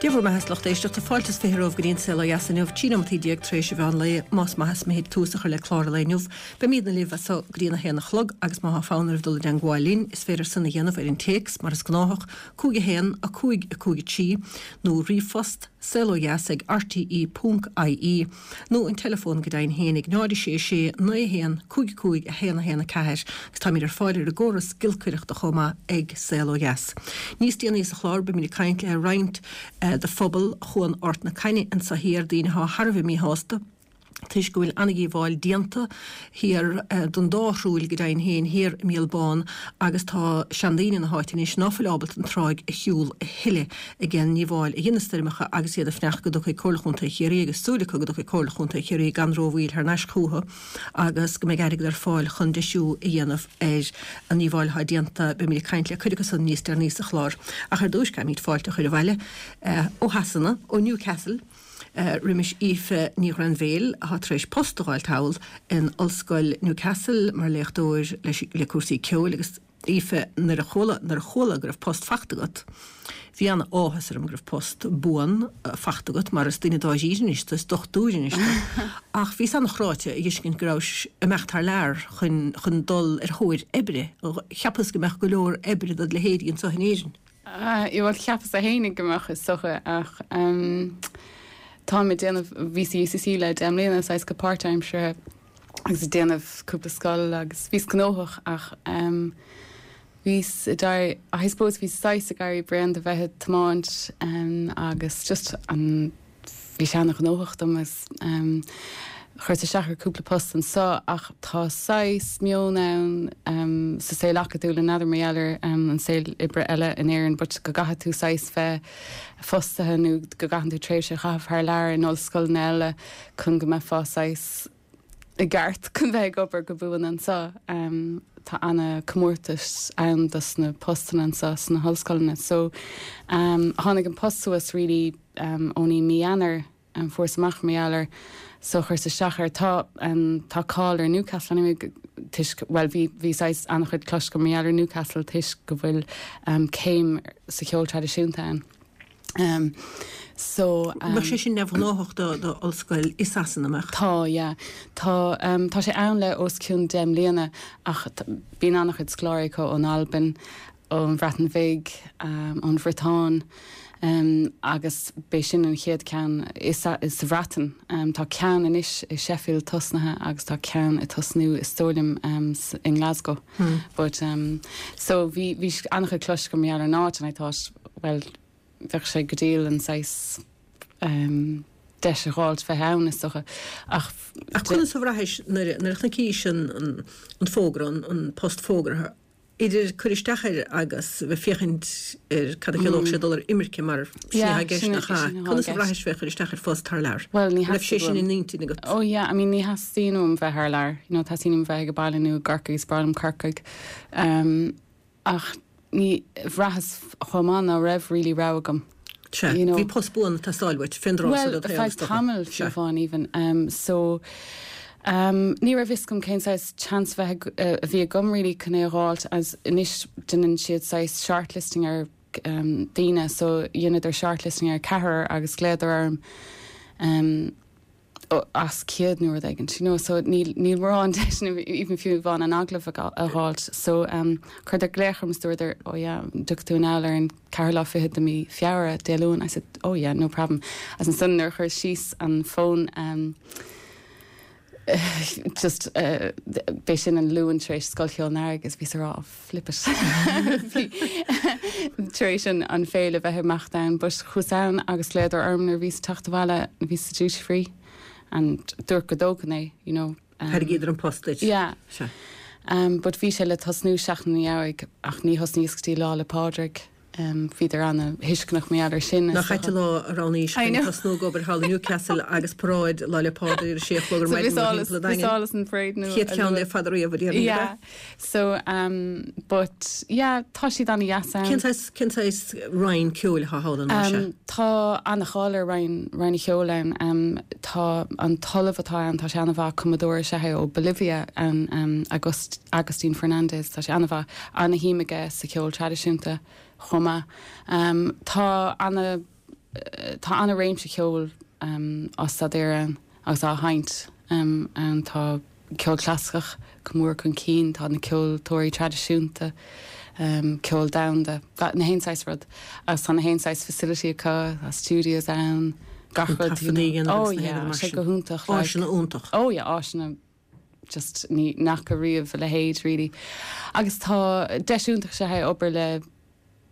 Dia bhur mbeatha a lucht éisteachta, fáilte is 20 romhaibh go dtí an Saol Ó Dheas inniu, 13 nóimeataí tar éis an mheán lae, más maith is mithid tús a chur le clár an lae inniu. Beimídne libh as so go dtí an 1 a chlog agus má thá fonn oraibh dul i dteangmháil linn, is féidir san a dhéanamh ar an téacs, mar is gnáthach, 5 1 5 5 3, nó ríomhphost, saolodheas ag rte ponc ie, nó an teileafón go deimhin féin ag 0 6 6 9 1 5 5 1 1 4 agus táimid ar fáil ar an gcóras giolcaireachta chomh maith ag Saol Ó Dheas. Níos déanaí sa chlár beimid ag caint le roinnt de phobal Chuan Ard na Caithne anso thiar, daoine atá thar a bheith míshásta toisc go bhfuil an-dhíobháil déanta thiar don dá thruaill go deimhin féin thiar i Míol Bán agus tá seandaoine na háite anois ná fuil ábalta an tráigh a shiúl a thuilleadh ag an ndíobháil a dhein na stoirmeacha agus iad ag fanacht go dtiocfaidh Comhairle Chontae Chiarraí agus súil acu go dtiocfaidh Comhairle Chontae Chiarraí gan rómhoill thar n-ais chúthu agus go mbeidh airgead ar fáil chun deisiú a dhéanamh ar an ndíobháil atá déanta. Beimid ag caint le cuid acu san níos deireanaí sa chlár. Ach ar dtúis caithfimid fáilte a chur abhaile ó Shasana, ó Newcastle, roimis Aoife Ní Ghrainbhéil atá tar éis post a dh'fháilt thall in Ollscoil Newcastle mar léachtóir le cúrsaí ceoil agus Aoife, nuair a chuala, nuair a chuala go raibh post fachta agat, bhí ana-áthas orm go raibh post buan fachta agat mar is duine dáiríre anois tú, is dochtúir anois tú. Ach bhíos ana-chráite a dh'fheiscint go rabhais ag imeacht thar lear chun, chun dul ar thóir oibre. Cheapas go mbeadh go leor oibre dod leithéidí anseo in Éirinn. Bhuel, cheapas-sa fhéinig go mbeadh is dócha ach táim ag déanamh, bhíos i UCC le 10 mbliana, saghas go páirtaimseartha. agus ag déanamh cúpla scoil agus bhíos gnóthach ach bhíos ag éirí, I suppose bhíos saghas ag éirí bréan de bheith ag tiomáint agus just an, bhí sé ana-ghnóthach dom agus chuireas isteach ar cúpla post anso ach tá saghas meon ann sa saol acadúil, n'fheadar mar gheall ar an saol oibre eile in Éirinn but go gcaithfidh tú saghas bheith fostaithe nó go gcaitheann tú tréimhse a chaitheamh thar lear in ollscoileanna eile chun go mbeifeá saghas i gceart chun bheith ag obair go buan anseo. Tá ana comórtas ann dos na postanna anseo sna hollscoileanna. So tháinig an post suas really only mí Eanáir, fuaireas amach mar gheall air so chuireas isteach air. Tá tá cáil ar Newcastle anyway toisc, bhuel bhí bhí saghas an-chuid cloiste agam mar gheall ar Newcastle toisc go bhfuil céim sa cheol traidisiúnta ann. So. Mbeadh sé sin neamhghnáthach do ollscoil i Sasana, mbeadh? Tá, yeah. Tá, tá sé ann le os cionn 10 mbliana ach bíonn an-chuid scoláirí acu ón Albain, ón Bhreatain Bhig, ón Bhriotáin agus b'é sin an chéad ceann i sa Bhreatain. Tá ceann anois i Sheffield tosnaithe agus tá ceann ag tosnú is dóigh liom i nGlasgow. But so bhí bhí an-chuid cloiste agam mar gheall ar an áit and I thought well bheadh sé go diail an saghas deis a dh'fháilt bheith ann is dócha ach Ach conas a bhraithis nuair a chonaicis an an fógra, an post fógartha, idir cur isteach air agus bheith féachaint ar cad a chiallódh sé dul ar imirce mar sin atá i gceist nach ea? Conas a bhraithis bheith ag cur isteach ar phost thar lear? Bhuel ní An raibh sé theastaigh sin uaim. in intinn agat? Oh yeah, I mean ní theastaíonn uaim bheith thar lear, you know teastaíonn uaim bheith ag baile nó i gCorcaigh, is breá liom Corcaigh. Ach ní, bhraitheas chomh maith ná raibh really rogha agam. Sea, You know. bhí post buan ag teastáil uait, fén dtráth Bhuel, so do ar feadh shaol, is dócha. tamaill, fiú Sea. amháin even. Um, so, um, ní raibh fhios agam cén saghas chance bheith ag, eh, a bhí agam really chun é a dh'fháilt as anois déanann siad saghas shortlisting ar um, daoine so dheineadar shortlisting ar ceathrar agus ghlaodar orm um, as 100 nó rud éigin, you know, so níl, níl mórán deiseanna even fiú amháin an agallamh a dh'fháilt. So um, chuireadar glaoch orm is dúradar, oh yeah, dtiocfaidh tú anall ar an ceathrú lá fichead de mí Feabhra, Dé Luain. I said, oh yeah, no problem. Agus ansan nuair a chuireas síos an fón um, just uh, b'é sin an Luan tar éis Scoil Cheoil an Earraigh is bhíos ag rá, flip it. Bhí tar éis an, an féile bheith ag imeacht ann, but chuas ann agus ghlaodar orm nuair a bhíos ag teacht abhaile, bhíos sa duty free and dúirt go dtógfainn é, you know. Um, Thairgíodar an post duit. Yeah. Sea. Um, but bhí sé le tosnú seachtain ina dhiaidh ach ní thosnaíos go dtí Lá 'le Pádraig. Bhíodar ana-thuisceanach mar gheall ar sin. Nach ait an lá a roghnaís I chun know. tosnú ag obair thall i Newcastle agus paráid Lá 'le Pádraig ar a sé a chlog ar So maidin bhíos mórthimpeall an bhíos Daingin. álas an pharáid nó Chéad cheann le fada riamh a déarfainn, Yeah. ab ea? So um, but yeah, tá siad ana-dheas ann. Cén saghas, cén saghas roinn ceoil atá thall an lá seo? Um, tá ana-cháil ar roinn, roinn an cheoil ann. Um, tá an t-ollamh atá ann, tá sé ana-mhaith, cumadóir is ea é ó Bolivia ann, um, Agust, Agustin Fernandez, tá sé ana-mhaith. Ana-shuim aige sa cheol traidisiúnta chomh maith. Tá ana. tá ana-réimse cheoil á staidéar ann agus á sheinnt ann. Tá ceol clasaiceach go mór chun cinn, tá na ceoltóirí traidisiúnta, ceol domhanda, na haon saghas rud. Agus tá na haon saghas facility acu, tá studios ann, gach rud. Taifeadtaí a dhéanamh agus na haon rud mar sin. Oh yeah, sé go hiontach. Áiseanna iontach. Oh yeah, áiseanna just ní fhaca riamh a leithéid really. Agus tá deis iontach is ea é obair le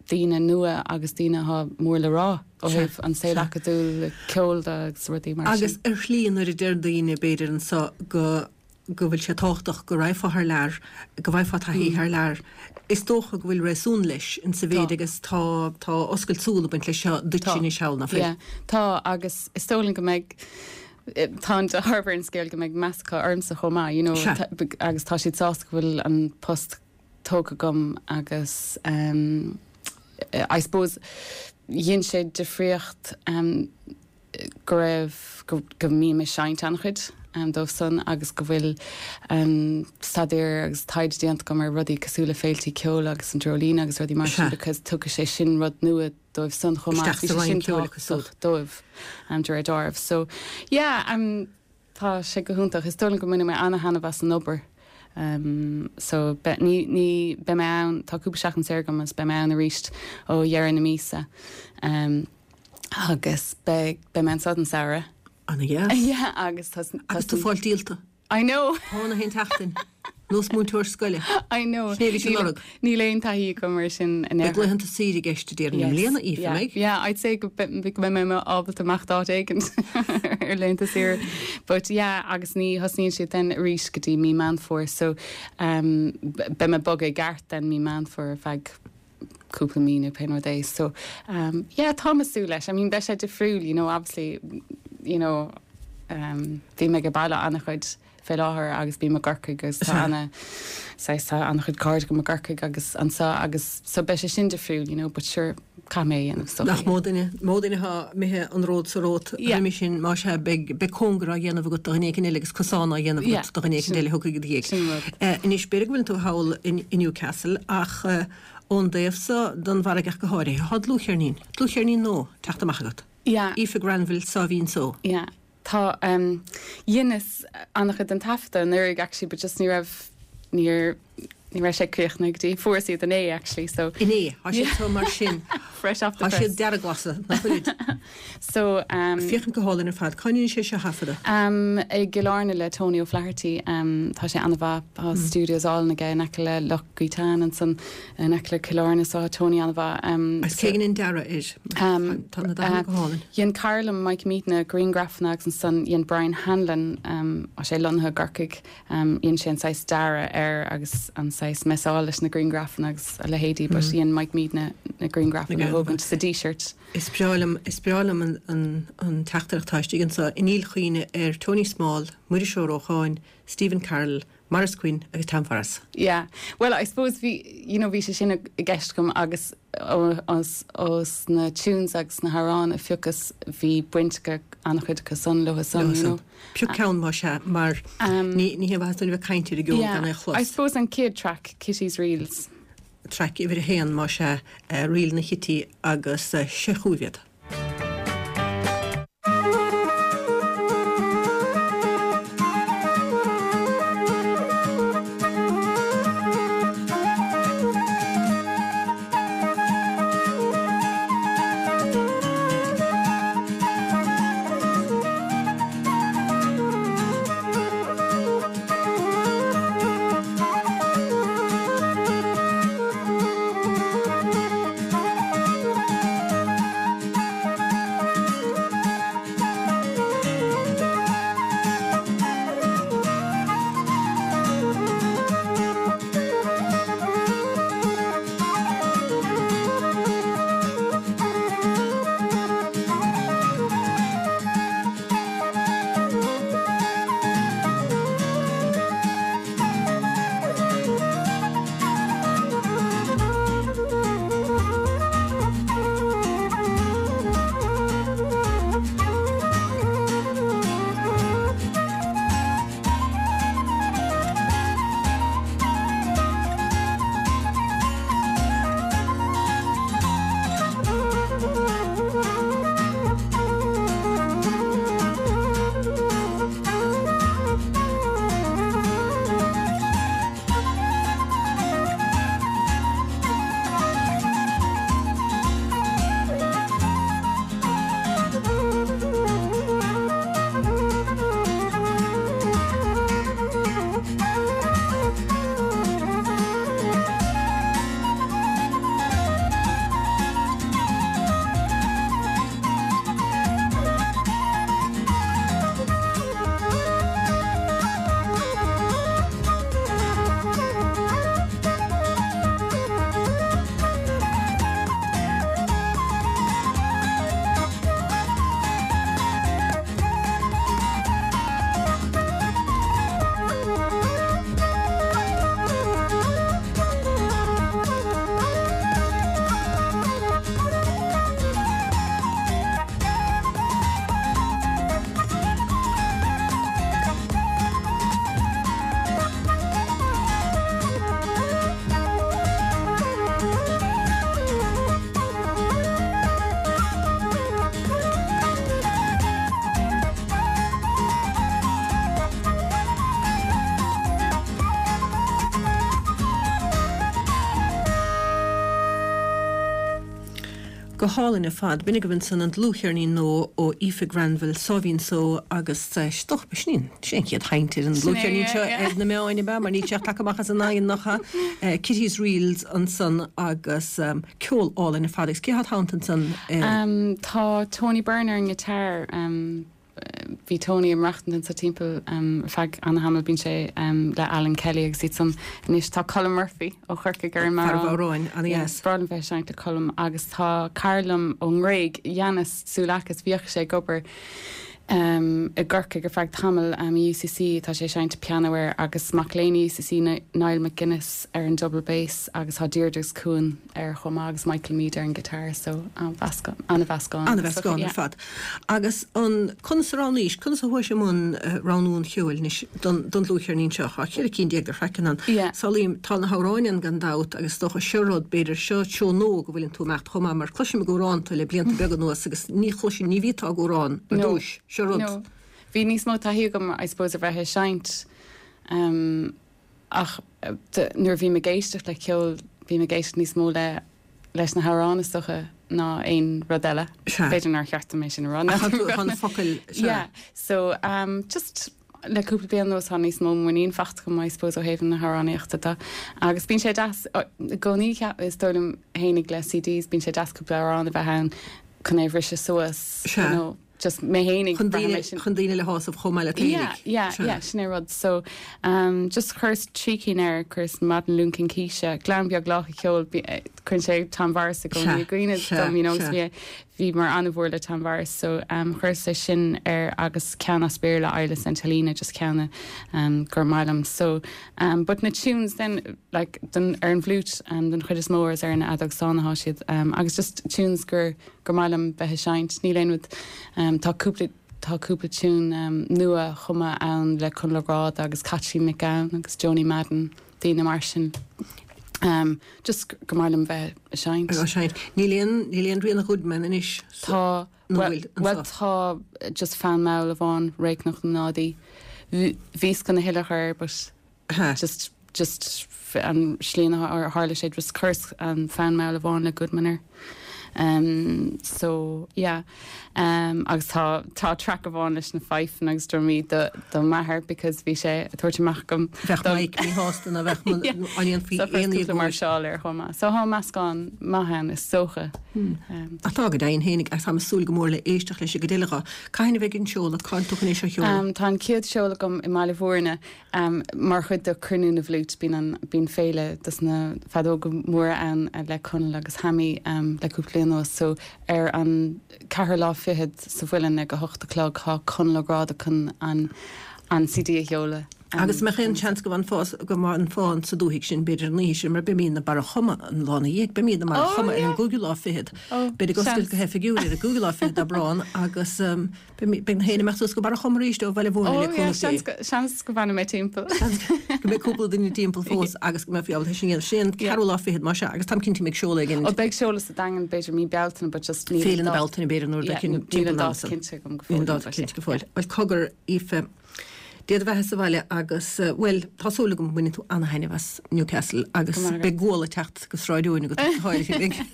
daoine nua agus daoine atá mór le rá ó thaobh an saol acadúil, ceoil de agus rudaí mar sin. Agus ar shlí nuair a deir daoine b'fhéidir anso go go bhfuil sé tábhachtach go raghfá thar lear, go bhfaighfeá taithí thar lear, is dócha go bhfuil réasún leis in sa mhéid agus tá tá oscailt súl ag baint leis seo duitse anois thall, nach bhfuil? Yeah, tá agus is dóigh liom go mbeidh tá an dealramh ar an scéal go mbeidh meas acu ormsa chomh maith, you know, agus tá siad sásta go bhfuil an post tógtha agam agus I suppose dhein sé difríocht go raibh, go mbím ag seinnt an-chuid dóibh san agus go bhfuil staidéar agus taighde déanta agam ar rudaí cosúil le féiltí ceoil agus an Dreoilín agus rudaí mar sin because tugann sé sin rud nua dóibh san chomh maith. Bhí sé sin tábhachtach dóibh de réir dealraimh. So yeah, Tá sé go hiontach. Is dóigh liom go mbainfidh mé ana-thaitneamh as an obair. So, be, ní, ní, beidh mé ann, tá cúpla seachtain saor agam agus beidh mé ann arís ó dheireadh na míosa. Agus beidh, beidh mé anso don samhradh. Ana-dheas. Yeah, agus tá, tá. Agus tú ag fáil díolta. I know! Pá na haon tseachtain. Nós múinteoir scoile. I know. Sin é a bhí sé ag lorg. Níl aon taithí agam ar sin in aon Beidh laethanta saoire i gceist ag deireadh na bliana, Aoife, an mbeidh? Yeah, I'd say go mbeidh mé ábalta imeacht áit éigin ar laethanta saoire. But yeah, agus ní thosnaíonn siad then arís go dtí mí Meán Fómhair, so beidh mé bogtha i gceart then mí Meán Fómhair ar feadh cúpla mí nó pé rud é. So yeah, táim ag súil leis. I mean, beidh sé difriúil, you know, obviously, you know, bhí mé ag baile an-chuid fé láthair agus bím i gCorcaigh agus tá ana saghas tá an-chuid cairde agam i gCorcaigh agus anso agus so beidh sé sin difriúil you know but sure caithfidh mé é a dhéanamh so. Nach mó duine, mó duine atá imithe an ród so romhat roimhe sin más ea beidh, beidh cóngar á dhéanamh agat do dhuine éicint eile agus cosán á dhéanamh agat do dhuine éicint eile a thiocfaidh i do dhiaidh. Sin rud. Anois b'fhéidir go bhfuileann tú thall i Newcastle ach ón dtaobh so den bhfarraige ach go háirithe, tá dlúthcheirnín, dlúthcheirnín nua teacht amach agat. Yeah. Aoife Granville Sáimhín Só. Yeah. Tá, dheineas an-chuid den taifeadadh anuraidh actually but just ní raibh, níor, ní raibh sé críochnaithe go dtí, fuaireas iad inné actually so. Inné, tá siad so mar sin. Fresh off the Tá press. siad dearglasadh, nach bhfuilid? So. Féachaint go hálainn ar fad. Cá ndearna sé seo a thaifeadadh? I gCill Airne le Tony O'Flaherty. Tá sé an-mhaith. Tá studios álainn aige in aice le Loch Gaotáin ansan in aice le Cill Airne so tá Tony an-mhaith. Agus cé a dhein an dearadh air? Tá na dathanna go hálainn. Dhein cara liom Mike Meade na grianghrafanna agus ansan dhein Brian Hanlon, tá sé lonnaithe i gCorcaigh, dhein sé an saghas dearadh air agus an saghas messáil leis na grianghrafanna agus a leithéidí but dhein Mike Meade na grianghrafanna a thógaint sa Díseart. Is breá liom, is breá liom an an teachtaireacht atá istigh anso i ndíl chuimhne ar Tony Small, Muiris Ó Rócháin, Stephen Carroll, Maurice Quinn agus Tom Forrest. Yeah. Well, I suppose bhí, you know, bhí sé sin i gceist agam agus ós na tunes agus na hamhráin a phiocas bhí baint ag an-chuid acu san leo san, you know. Pioc ceann más ea, mar ní ní haon mhaitheas dúinn a bheith ag caint ar an gceol gan é a chlos. I suppose an chéad track, Kitty's Reels. Traic uimhir a haon más ea, Ríleanna Chití agus seo chugaibh iad. Go hálainn ar fad. B'in agaibh ansan an dlúthcheirnín nua ó Aoife Granville, Sáimhín Só agus is dócha, b'shin í an, sin é an chéad chaint ar an dlúthcheirnín seo ar na meáin, ab ea? Mar níl sé ach tagtha amach as an oigheann, nach ea? Kitty's Reels ansan agus ceol álainn ar fad. Agus cé atá id theannta ansan? Tá Tony Byrne ar an ngiotár. Bhí Tony ag maireachtaint anso timpeall ar feadh ana-thamaill. Bíonn sé le Alan Kelly agus iad san anois. Tá Colm Murphy ó Chorcaigh ar an mbodhrán. Fear an bhodhráin, ana-dheas. Breá liom bheith ag seinnt le Colm agus tá cara liom ón nGréig, Yannis Tsoulakis, bhíodh sé ag obair i gCorcaigh ar feadh tamaill i UCC, tá sé ag seinnt pianó air agus mac léinn i UCC, Niall McGuinness ar an double bass agus tá Deirdre agus Cuan air chomh maith agus Michael Meade ar an guitar so an-mheascán, an-mheascán. An-mheascán ar fad. Agus an, conas a roghnaís, conas a chuais i mbun roghnú an cheoil anois don, don dlúthcheirnín seo? Tá 14 cinn de thraiceanna ann. Yeah. Samhlaím, tá na hamhráin ann gan dabht agus is dócha seo rud, b'fhéidir, seo seó nua go bhfuileann tú ag imeacht chomh maith mar cloisim ag amhrán tú le blianta beaga anuas agus ní chloisinn, ní bhíteá ag amhrán ar No. dtúis. Seo rud. No. Bhí níos mó taithí agam I suppose ar bheith ag seinnt um, Ach nuair a bhím ag éisteacht le ceol, bím ag éisteacht níos mó le leis na hamhráin is dócha ná aon rud eile. Sea. B'fhéidir nár cheart dom é sin a rá. Ach tá na focail, sea. Yeah. So, um, just le cúpla bliain anuas tá níos mó muinín faighte agam, I suppose, ó thaobh na hamhránaíochta de. Agus bíonn sé deas, i gcónaí, is dóigh liom fhéinig le CDs, bíonn sé deas cúpla amhrán a bheith ann chun é a bhriseadh suas, Sea. you know. just mé fhéinig Chun daoine, sin. chun daoine le shásamh chomh maith leat féinig. Yeah, yeah, Sea. yeah, sin é rud. So, um, just chuireas trí cinn air, chuireas Maidin Luain Cincíse, Gleann Beag Lách an Cheoil, bhí, eh, cuireann sé Tom Morris i gcónaí Sea, i gcuimhne sea, dom, you know, agus sea. bhí, bhíomar an-mhór le Tom Morris, so, um, chuireas é sin air agus ceann as Béarla, Isle of St Helena, just ceann, um, gur maith liom. So, um, but na tunes then, like, don, ar an bhfliúit, um, don chuid is mó is ar an fheadóg stáin atá siad, um, agus just tunes gur, gur maith liom bheith ag seinnt. Níl aon rud, tá cúpla, tá cúpla tiún nua chumtha ann le Conall Ó Gráda agus Caitlín Nic Gabhann agus Joni Madden, daoine mar sin. Just gur maith liom bheith ag seinnt. Ag seinnt. Níl aon, níl aon rian Goodman anois sa, Tá, nó bhfuil, bhuel anseo? tá just fonn mall amháin, Récnoc na nDádaí. Bhíos chun a thuilleadh a chur air but just just an slí ar tharla sé just chuireas an fonn mall amháin le Goodman air. Um, so yeah. Um, agus tá tá track amháin leis na fifeanna agus drumaí do do m'athair because bhí sé ag tabhairt amach agam Bheadh Mike míshásta ná bheadh an ndéanfaí So aon cúpla íogóir. máirseáil air chomh maith. So tá meascán maith ann is dócha. Um, Ach tá go deimhin fhéinig agus táim ag súil go mór le éisteacht leis an gcuid eile dho. Cathain a bheidh an seoladh? Cá bhfuil tú chun é seo a sheoladh? Um, tá an chéad seoladh agam i mBaile Bhúirne. Mar chuid de Cruinniú na bhFliút, bíonn an, bíonn féile dos na feadóga móra ann le Conall agus Hammy le cúpla bliain anuas. So ar an ceathrú lá fichead sa Mhuileann ag a hocht a chlog tá Conall Ó Gráda chun an, an CD a sheoladh. Agus mbeadh aon seans go bhfanfá, go bhfanfá sa dúthaigh sin b'fhéidir an oíche sin mar beimíd i mBarra Choma an lá ina dhiaidh, beimíd i mBarra Choma ar an gcúigiú lá fichead. Beid ag oscailt go hoifigiúil ar an gcúigiú lá fichead d'Aibreán agus. Beidh na héin ag imeacht suas go Barra Choma arís ó Bhaile Bhúirne le cúnamh Dé. Seans go bhfanfaidh mé timpeall. Seans go mbeidh cúpla duine timpeall fós agus go mbeifí ábalta sin a dhéanamh. Sin an ceathrú lá fichead más ea agus táim cinnte go mbeidh seoladh éigin. Ó beidh seoladh sa Daingean b'fhéidir mí Bealtaine but just níl Féile na Bealtaine b'fhéidir nó rud éicint timpeall an ama san. Níl an dáta cinnte agam go fóill. Níl an dáta cinnte go fóill. Bhuel cogar Aoife, Dé do bheatha sa bhaile agus, bhuel, tá súil agam go mbainfidh tú ana-thaitneamh as Newcastle agus beidh gual ag teacht go Sráid Eoin agat go háirithe.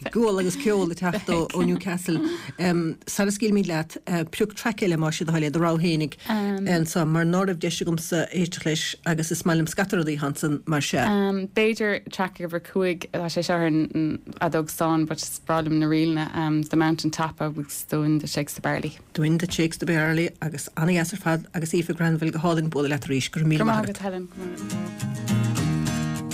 Beidh gual agus ceol ag teacht ó Newcastle. Sara scaoilfimid leat, pioc traic eile más é do thoil é, do rogha fhéinig anso mar ná raibh deis agamsa éisteacht leis agus is maith liom scata rudaí ansan mar sea. B'fhéidir traic uimhir 5, tá sé seo ar an fheadóg stáin but is breá liom na ríleanna, The Mountain Top agus The Wind That Shakes the Barley. The Wind That Shakes the Barley agus ana-dheas ar fad agus Aoife Granville go hálainn bualadh leat arís. Go raibh míle maith agat. Go raibh maith agat Helen. Go raibh maith agat.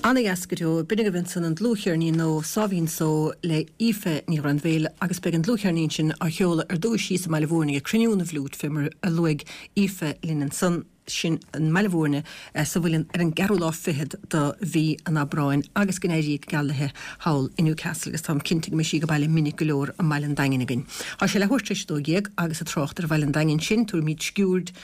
Ana dheas go deo. B'in agaibh ansan an dlúthcheirnín nua Sáimhín Só le Aoife Ní Ghrainbhéil agus beidh an dlúthcheirnín sin á sheoladh ar dtúis thíos i mBaile Mhúirne ag Cruinniú na bhFliút fé mar a luaigh Aoife linn ansan. Sin i mBaile Mhúirne sa Mhuileann ar an gceathrú lá fichead de mhí an Aibreáin agus go n-éirí go geal léi thall i Newcastle agus táim cinnte go mbeidh sí ag baile minic go leor i mBaile an Daingin againn. Tá sé leathuair tar éis 12 agus ag trácht ar Bhaile an Daingin sin, tabharfaimid sciuird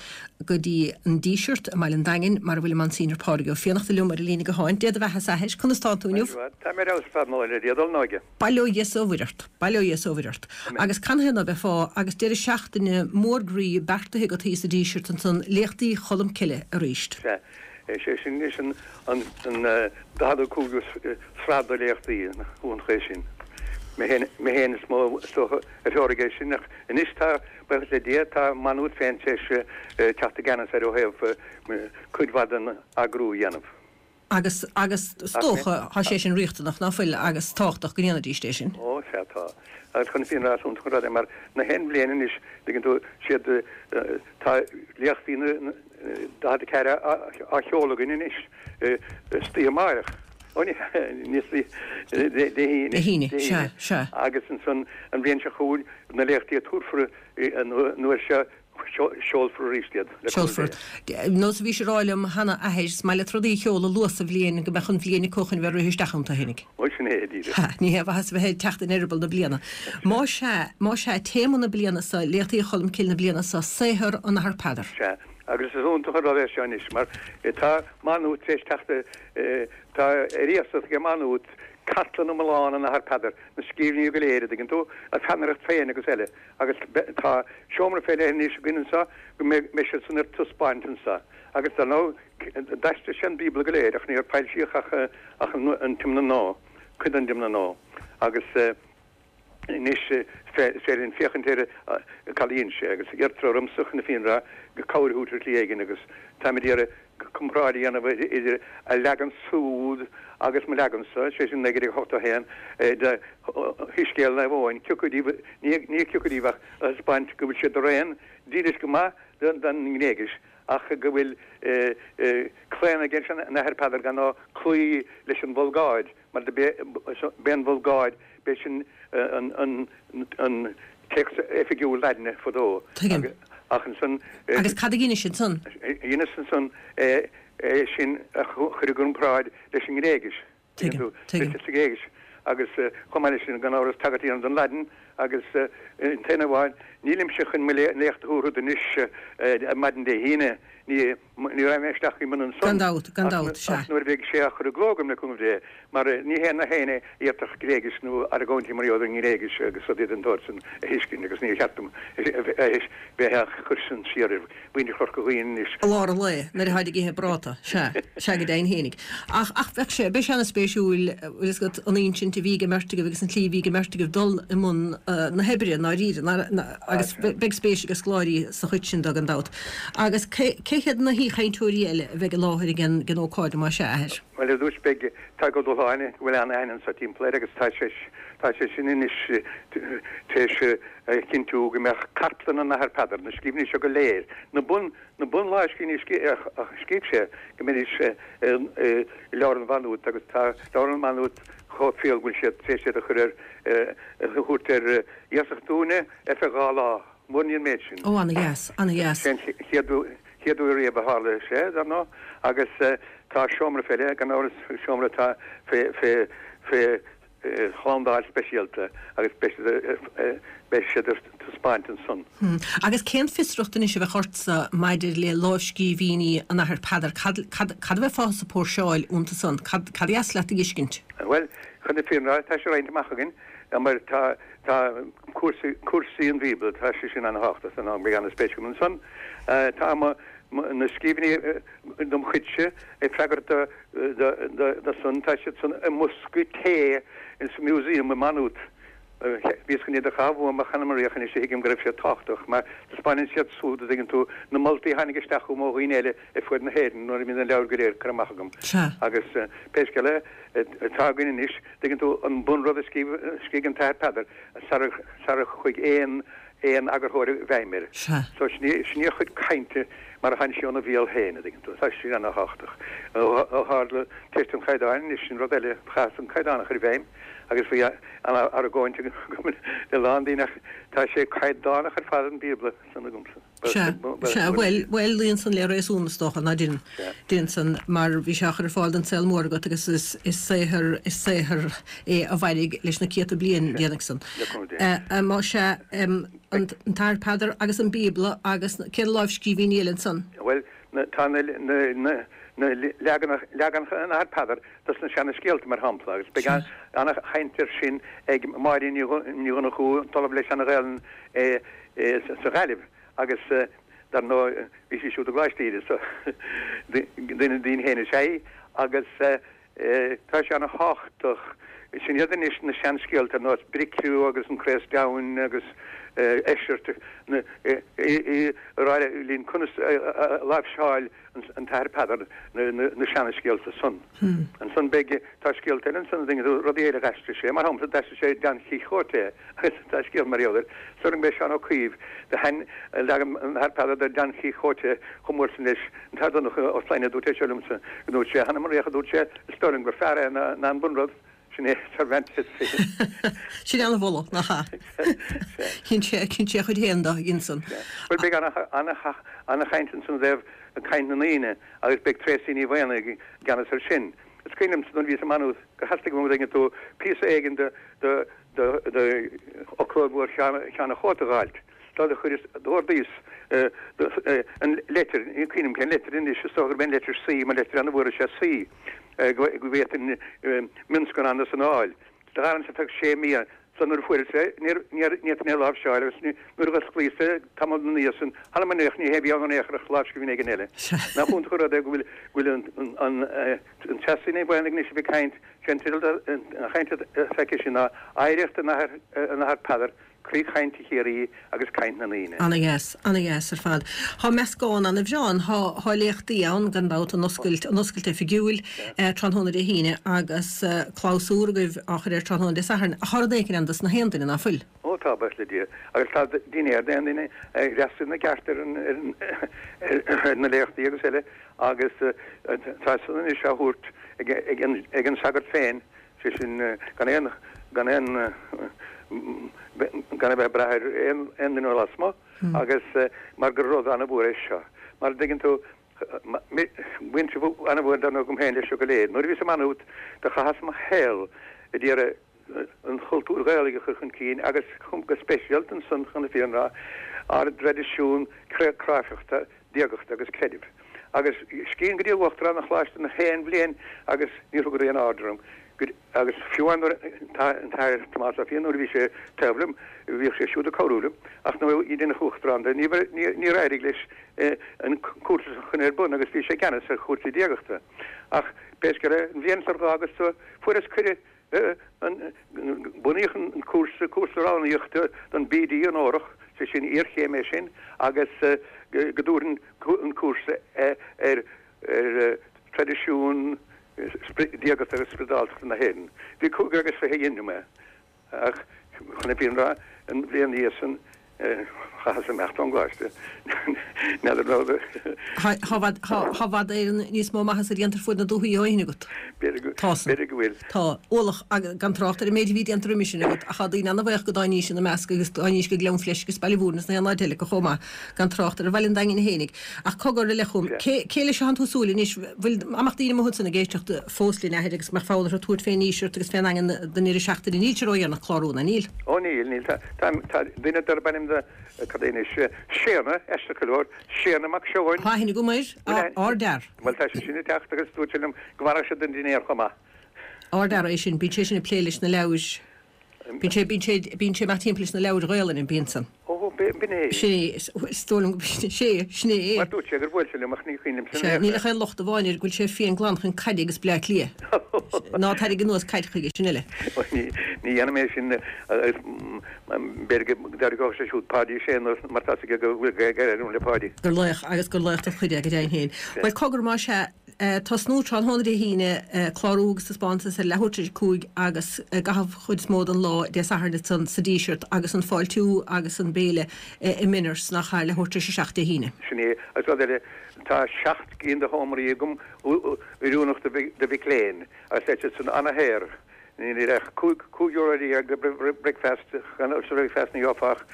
go dtí an Díseart i mBaile an Daingin mar a bhfuil an Monsignor Pádraig Ó Fiannachta liom ar an líne gutháin. Dé do bheatha-sa, a Athair, conas tánn tú inniu? Tá mé ar fheabhas ar fad, mo le Dia dul n-óige. Bail ó Dhia 's ó Mhuire ort. Bail ó Dhia 's ó Mhuire ort. Agus canathaobh ná beifeá agus deireadh seachtaine mór groí beartaithe agat thíos sa Díseart ansan, Léachtaí Cholm Cille arís. Sea. Is é sin anois an 45ú sraith de léachtaí, nach iontach é sin. Mé féin is mó is dócha a threoraigh é sin ach anois tá, Buíochas le Dia, tá Maigh Nuad féin tar éis teacht i gceannas air ó thaobh cuid mhaith den eagrú a dhéanamh. Agus, agus is dócha, tá sé sin riachtanach, ná fuil, agus tábhachtach go ndéanfaidís é sin. Ó, sea, tá. Agus chun na fírinne a rá, is iontach an rud é mar na haon bhliain anois, tuigeann tú, siad, tá léachtaí na 44 á sheoladh againn anois istoíche amáireach. Ó, ní, ní istoíche, Dé hAoine. Dé hAoine, sea, sea. Agus ansan an bhliain seo chugainn, na léachtaí a tabharfar an uair seo, seolfar arís iad, le cúnamh Dé. Nós a bhís ag rá liom cheana, a Athair, is maith leat rudaí a sheoladh luath sa bhliain go mbeadh an bhliain acu chun bheith ag rith isteach iontu fhéinig. Ó, sin é, díreach. Ha, ní haon mhaitheas a bheith ag teacht in eireaball na bliana. Má sea, más sea, téama na bliana seo, Léachtaí Cholm Cille na bliana seo, saothar an Athar Peadar. Sea, agus is iontach an rud é seo anois, mar tá Maigh Nuad tar éis teacht, tá ar iasacht ag Maigh Nuad cartlann iomlán an Athar Peadar, na scríbhinní go léir, a dtuigeann tú, a pheannaireacht féin agus eile, agus tá seomra fé leith anois againn anso go mbeidh siad san ar taispeáint anso. Agus dar ndóigh, d'aistrigh sé an Bíobla go léir ach níor foilsíodh ach ach an Tiomna Nua, cuid den dTiomna Nua. Agus anois is féidir linn féachaint ar cad a dhein sé agus iarrtar ormsa chun na fírinne a rá cabhair a thabhairt ar shlí éigin agus táim ag iarraidh comparáid a dhéanamh idir a leagan súd agus mo leagansa, sé sin 1981, de Shoiscéal Naomh Eoin, cé acu díobh, ní cé acu díobh ach a thaispeáint go bhfuil siad araon dílis go maith don nGréigis ach go bhfuil claonadh ag an Athair Peadar gan ná cloí leis an Vulgáid. Mar b'é an Vulgáid, b'é sin an téacs oifigiúil Laidine fadó. Tuigim. Ach ansan. Agus cad a dheinis ansan? Dheineas ansan é sin a chur i gcomparáid leis an nGréigis. Tuigim. Tuigim. Sa Ghréigis. Agus chomh maith leis sin, gan amhras, tagairt a dhéanamh don Laidin agus an t-aon amháin, nílimse chun mo léacht a thabhairt anois ar maidin Dé hAoine, ní. Ní raghaidh mé isteach i mbun ansan. Gan dabht, gan dabht, sea. Ach nuair a bheidh sé á chur i gcló agam le cúnamh Dé, mar ní hé na héinne a fhéadfadh Gréigis nó argóintí mar gheall ar an nGréigis agus rudaí den tsórt san a thuiscint agus níor cheart dom bheith á chur sin siar ar mhuintir Chorca Dhuibhne anois. I lár an lae, nuair atáid ag ithe práta, sea, sea go deimhin fhéinig. Ach, ach bheadh sé, beidh sé ana-spéisiúil, bhfuil fhios agat, an insint a bhí ag an mbeirt agaibh agus an tslí a bhí ag an mbeirt agaibh dul i mbun na hoibre, i ndáiríre, agus beidh spéis ag scoláirí sa chuid sin de gan dabht. Agus cé hiad na haoichainteoirí eile a bheidh i láthair ag an ócáid, más ea, a Athair? Bhuel, ar dtús beidh Tadhg Ó Dúshláine, go bhfuil an-aithne anso timpeall air agus tá sé tá sé sin anois tar éis a chinntiú go mbeadh cartlann an Athar Peadar, na scríbhinní seo go léir, na bun na bunlámhscríbhinní a scríobh sé, go mbeidís i Leabharlann Mhá Nuad agus tá Leabharlann Mhá Nuad chomh fial go bhfuil siad tar éis iad a chur ar a thabhairt ar iasacht dúinne ar feadh 2 lá. Mórán an méid sin. Ó, ana-dheas, ana-dheas. Sé an chéad chéad uair riamh a tharla sé, dar ndóigh, agus tá seomra fé leith, gan amhras, seomra atá fé, fé, fé shlándáil speisialta agus beidh siad, beidh siad ar taispeáint ansan. Agus cén fiosracht anois a bheadh ortsa maidir le lámhscríbhinní an Athar Peadar? Cad, cad, cad a bheifeá ag póirseáil iontu san? Cad, cad a dheas leat a fheiscint? Bhuel, chun na fírinne a rá, tá sé roinnte amach againn, mar tá, Tá cúrsaí, cúrsaí an Bhíobla, tá sé sin an-thábhachtach san am, beidh an-spéis agam ansan. Tá mo, na scríbhinní dom chuidse ag freagairt do, do, do, do san, tá siad san i mbosca tae ins an museum i Maigh Nuad. Bhíos chun iad a chaitheamh uaim ach chan ea anois a thuigim go raibh siad tábhachtach mar taispeánann siad súd, a dtuigeann tú, na moltaí a tháinig isteach chugam ó dhaoine eile ar fuaid na hÉireann nuair a bhí na leabhair go léir curtha amach agam. Agus pé scéal é, tá againn anois, Tuigeann tú, an bunrud a scríobh an tAthair Peadar sara chuaigh aon. aon eagarthóir i bhfeidhm air. Sea. So sin í, sin í a chuid cainte mar a tháinig sí óna bhéal féin, a dtuigeann tú. Tá sin ana-thábhachtach. Ó tharla ceist an chaighdeáin anois, sin rud eile, chaitheas an caighdeán a chur i bhfeidhm agus bhí ana-argóint agam le lán daoine ach tá sé caighdeánach ar fad an Bíobla san agamsa. Sea, sea, bhuel, bhuel, luíonn san le réasún is dócha, ná deineann, deineann san, mar bhí sé á chur ar fáil don saol mór agat agus is, is saothar, is saothar é a mhairfidh leis na céadta bliain, déanfaidh san. Más ea, an tAthair Peadar agus an Bíobla agus cén lámhscríbhinní eile ansan? Bhuel, na, tá na, na, na, na leaganacha, leaganacha an Athar Peadar dos na seana-scéalta, mar shampla, agus beidh ana-chaint air sin ag Máirín Ní Dhonnchú, an tOllamh le Seana-Ghaelainn, sa Ghaillimh agus dar ndóigh bhí sí siúd i gColáiste Íde so duine dínn féin is ea í agus tá sé ana-thábhachtach. Sin iad anois na seanscéalta ar nós Bricriu agus an Craos Deamhain agus Eisirt ag rá linn conas a láimhseáil an tAthair Peadar na seana-scéalta san. Ansan beidh, tá scéalta eile ansan, rudaí eile a d'aistrigh sé, mar shampla d'aistrigh sé Don Quixote agus tá scéal mar gheall air. Is dóigh liom gurb é Seán Ó Caoimh do thaitin leagan an Athar Peadar de Don Quixote chomh mór san leis. An tAthair Donncha Ó Sloinne a dúirt é seo liomsa, go ndúirt sé, Th'anam 'on fhraoch a dúirt sé, is dóigh liom gur fearr é ná an bunrud. Sin é Cervantes féin. Sin ana-mholadh, nach ea? Dhein sé, dhein sé a chuid féin de, dhein san. Bhuel, beidh ana-chaint ansan i dtaobh caint na ndaoine agus beidh Tracey Ní Mhaonaigh i gceannas air sin. Is cuimhin liomsa nuair a bhíos i Maigh Nuad gur theastaigh uaim an dtuigeann tú, píosa éigin de fhoclóir mhór Sheáin a' Chóta a dh'fháilt. So do chuireas, d'ordaíos an leitir, ní cuimhin liom cén leitir anois, is dócha gurb é an leitir C, mar leitir an-mhór is ea C, go bhféadfainn mionscannán de san a fháil. Do dh'fhan ar feadh sé mí so nuair a fuaireas é, ní fhéadfainn é a láimhseáil agus nuair a dh'osclaíos é tamall ina dhiaidh san, th'anam 'on fhraoch, ní hé a bhí ann in aon chor ach lámhscríbhinn éigin eile. Nach iontach an rud é go bhfuil, go bhfuil an, an Treasa Ní Mhaonaigh anois a bheith ag caint, sé an teideal den chaint atá aici sin ná Oidhreacht an Athar Peadar, Croí Chainte Chiarraí agus Caint na nDaoine. Ana-dheas, ana-dheas ar fad. Thá meascán ana-bhreá ann. Thá, thá léachtaí ann, gan dabht, an oscailt, an oscailt oifigiúil, tráthnóna Dé hAoine agus clabhsúr agaibh á chur air tráthnóna Dé Sathairn. Ach thá rud éicint ann dos na haon duine, ná fuil? Ó tá, buíochas le Dia. Agus tá dinnéar d'aon duine a fhreastal ina gceart ar an, ar an, ar na léachtaí agus eile agus tá san anois á thabhairt ag, ag an, ag an sagart féin sé sin gan aon, gan aon, gan a bheith ag brath ar aon duine ó lasmuigh agus mar gur rud an-mhór é seo. Mar a dtuigeann tú, baint an-mhór dar ndóigh agam féin leis seo go léir. Nuair a bhíos i Maigh Nuad do chaitheas mo shaol ag iarraidh an chultúr Ghaelaigh a chur chun cinn agus go speisialta ansan chun na fírinne a rá, ár dtraidisiún cráifeachta diagachta agus creidimh. Agus scríobhainn go dtí Uachtarán an Choláiste na haon bhliain agus níor thugadar aon aird orm. Agus fiú amháin nuair an tAthair Tomás Ó Fiaich nuair a bhí sé taobh liom, bhíodh sé siúd ag cabhrú liom, ach nuair a deineadh Uachtarán de, níor éirigh leis an cúrsa a chur ar bun agus bhí sé i gceannas ar chúrsaí diagachta. Ach pé scéal é, an bhliain sar dh'fhágas fuaireas cuireadh Bunaíodh an cúrsa, cúrsa roghnaíochta don BD onórach, sé sin iarchéim é sin, agus go dtabharfainn an cúrsa ar traidisiún diagachta agus spioradáltachta na hÉireann. Bhí 25 a dhein liom é, ach chun na fírinne a rá, an bhliain ina dhiaidh san, Chaitheas imeacht ón gcoláiste. N'fheadar nó. Thá i bhfad Éireann níos mó maitheasa déanta ar fuaid na dúthaí ó shin agat. Tá san. B'fhéidir go bhfuil. Tá. Ualach, gan trácht ar an méid a bhí déanta roimis sin agat, ach tá daoine ana-bhaoch go dtáinís ina measc agus dtáinís go Gleann Fleisc agus Baile Mhúirne is na haon áit eile acu chomh maith, gan trácht ar Bhaile an Daingin fhéinig. Ach cogar a leith chugam, cé, cé leis a thánn tú ag súil anois? Bhfuil, dá mbeadh daoine amuigh ansan ag éisteacht fós linn, a Athair, agus go mbeadh fonn orthu tabhairt fén nDíseart agus fén nDaingean don ndeireadh seachtaine, níl sé ródheireanach clárú, ná níl? Ó níl, níl. Tá, tá, tá duine darb ainm do, cad é anois, Séanna, aisteach go leor, Séanna Mac Seoin. Tá aithne agam air, ardfhear. Bhuel, tá sé sin ag teacht agus dúirt sé liom go bhfanfadh sé don dinnéar chomh maith. Ardfhear é sin, bíonn sé sin ag plé leis na leabhair. Bíonn sé, bíonn sé, bíonn sé ag imeacht timpeall leis na leabhair Ghaelainne, bíonn san. Ó, b'in é. Sin é, is dóigh liom, sé, sin é é. Mar dúirt sé gur bhuail sé liom ach ní cuimhin liomsa Sea, níl ach aon locht amháin air, go bhfuil sé fiain glan chun caide agus Bleá Cliath. Ná tarraing anuas caid chuige, sin uile. Ó, ní, ní dhéanfaidh mé sin agus b'fhéidir go dtarraigeodh sé siúd Páidí Ó Sé anuas mar tá 's aige go bhfuil gaol agam le Páidí. Gur laoch agus gur laoch den chuid é go deimhin féin. Bhuel, cogar más ea. Tosnú tráthnóna Dé hAoine, clárú agus taispeántas ar leathuair tar éis 5 agus i gcaitheamh chuid is mó den lá Dé Sathairn ansan sa Díseart agus an fáiltiú agus an béile i Minors nach ea, leathuair tar éis 7 Dé hAoine. Sin é. Agus rud eile, tá 7 gcinn de sheomraí agam oiriúnach do mhic léinn agus tá siad san ana-shaor. Níl ach €15 do bricfeast, sa bhricfeast ní gheofá ach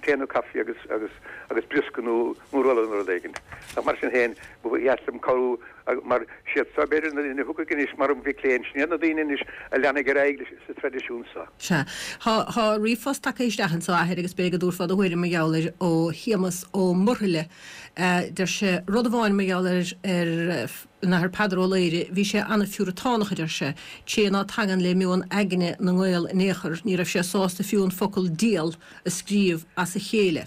tae nó caife agus agus agus briosca nó nó rolla nó rud éigin. Ach mar sin féin, ba dheas liom cabhrú mar siad seo b'fhéidir na daoine a thiocfaidh anois mar mhic léinn, sin iad na daoine anois a leanfaidh ar aghaidh leis sa traidisiún seo. Sea. Tá tá ríomhphost tagtha isteach anso, a Athair, agus b'fhéidir go dtabharfá do thuairim mar gheall air ó Shéamus Ó Murthaile. Deir sé, rud amháin mar gheall ar ar An Athair Peadar Ó Laoghaire, bhí sé ana-phiúratánach, a deir sé, té ná tagann le meon aigne na nGael in aon chor, ní raibh sé sásta fiú an focal 'dial' a scríobh as a chéile.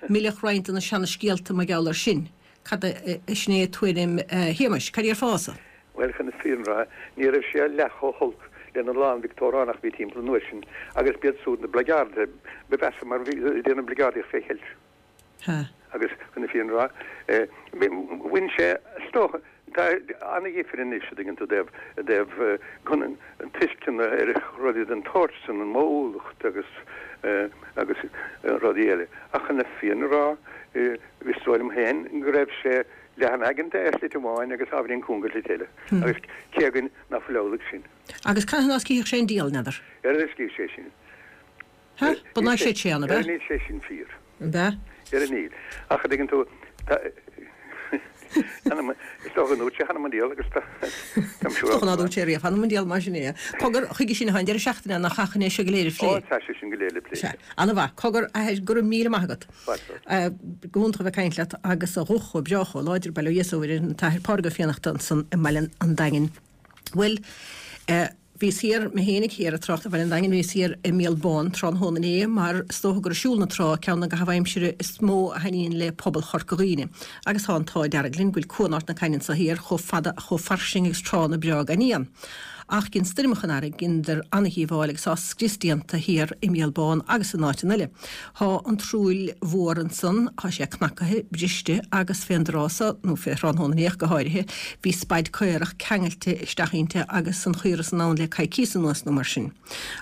Milleadh roinnt de na seana-scéalta mar gheall air sin. Cad é, sin é tuairim Shéamais. Cad déarfása? Bhuel, chun na fírinne a rá, ní raibh sé leath chomh holc lena lán Victeoiriánach a bhí timpeall an uair sin, agus b'iad súd na blackguardaithe ba mheasa mar bhí ag déanamh bligeardaíocht fé cheilt. Ha. Agus chun na fírinne a rá, bhain sé, is dócha, tá ana-dhifir anois, a dtuigeann tú, i dtaobh, i dtaobh tuisceana ar rudaí den tsórt san, an modhúlacht agus, agus rudaí eile. Ach chun na fírinne a rá, is dóigh liom féin go raibh sé leathan-aigeanta ar shlite amháin agus ábhairín cúng ar shlite eile. Agus cé againn ná fuil amhlaidh sin? Agus canathaobh ná scríobhadh sé an dial, n'fheadar? Ar ar scríobh sé sin? Ha? Ba ná sé sé ann, ab ea? Níl sé sin fíor. Ab ea? Dhera níl. Ach a dtuigeann tú, tá, is dócha go ndúirt sé th'anam 'on diabhal agus tá, táim siúrálta. Is dócha ná dúirt sé riamh th'anam 'on diabhal mar sin é. Cogar, chuige sin atá an deireadh seachtaine ann nach ea chun é seo go léir a phlé. Ó, tá sé sin go léir le plé. Sea. Ana-mhaith. Cogar, a athair, go raibh míle maith agat. Fáilte romhat. Go hiontach a bheith ag caint leat agus a ghuth chomh breá chomh láidir, bail ó Dhia is ó Mhuire air, an tAthair Pádraig Ó Fiannachta ansan i mBaile an Daingin. Bhuel, eh, bhíos thiar, mé fhéinig thiar ag trácht ar Bhaile an Daingin, bhíos thiar i Míol Bán tráthnóna inné mar is dócha gur ag siúl na trá ceann de na gcaitheamh aimsire is mó a thaitníonn le pobal Chorca Dhuibhne. Agus tá an t-ádh dearg linn go bhfuil Cuan Ard na Caithne anso thiar chomh fada chomh fairsing agus tránna breá gan fhiann. Ach dhein stoirmeacha an earraigh, dheineadar ana-dhíobháil agus tá scrios déanta thiar i Míol Bán agus in áiteanna eile. Thá an tsrúill mhór ansan, thá sé cnacaithe, briste, agus fén dtráth so, nó fé thráthnóna inné ach go háirithe, bhí spaid caorach ceangailte isteach inti agus an chaora san ann le coicíos anuas nó mar sin.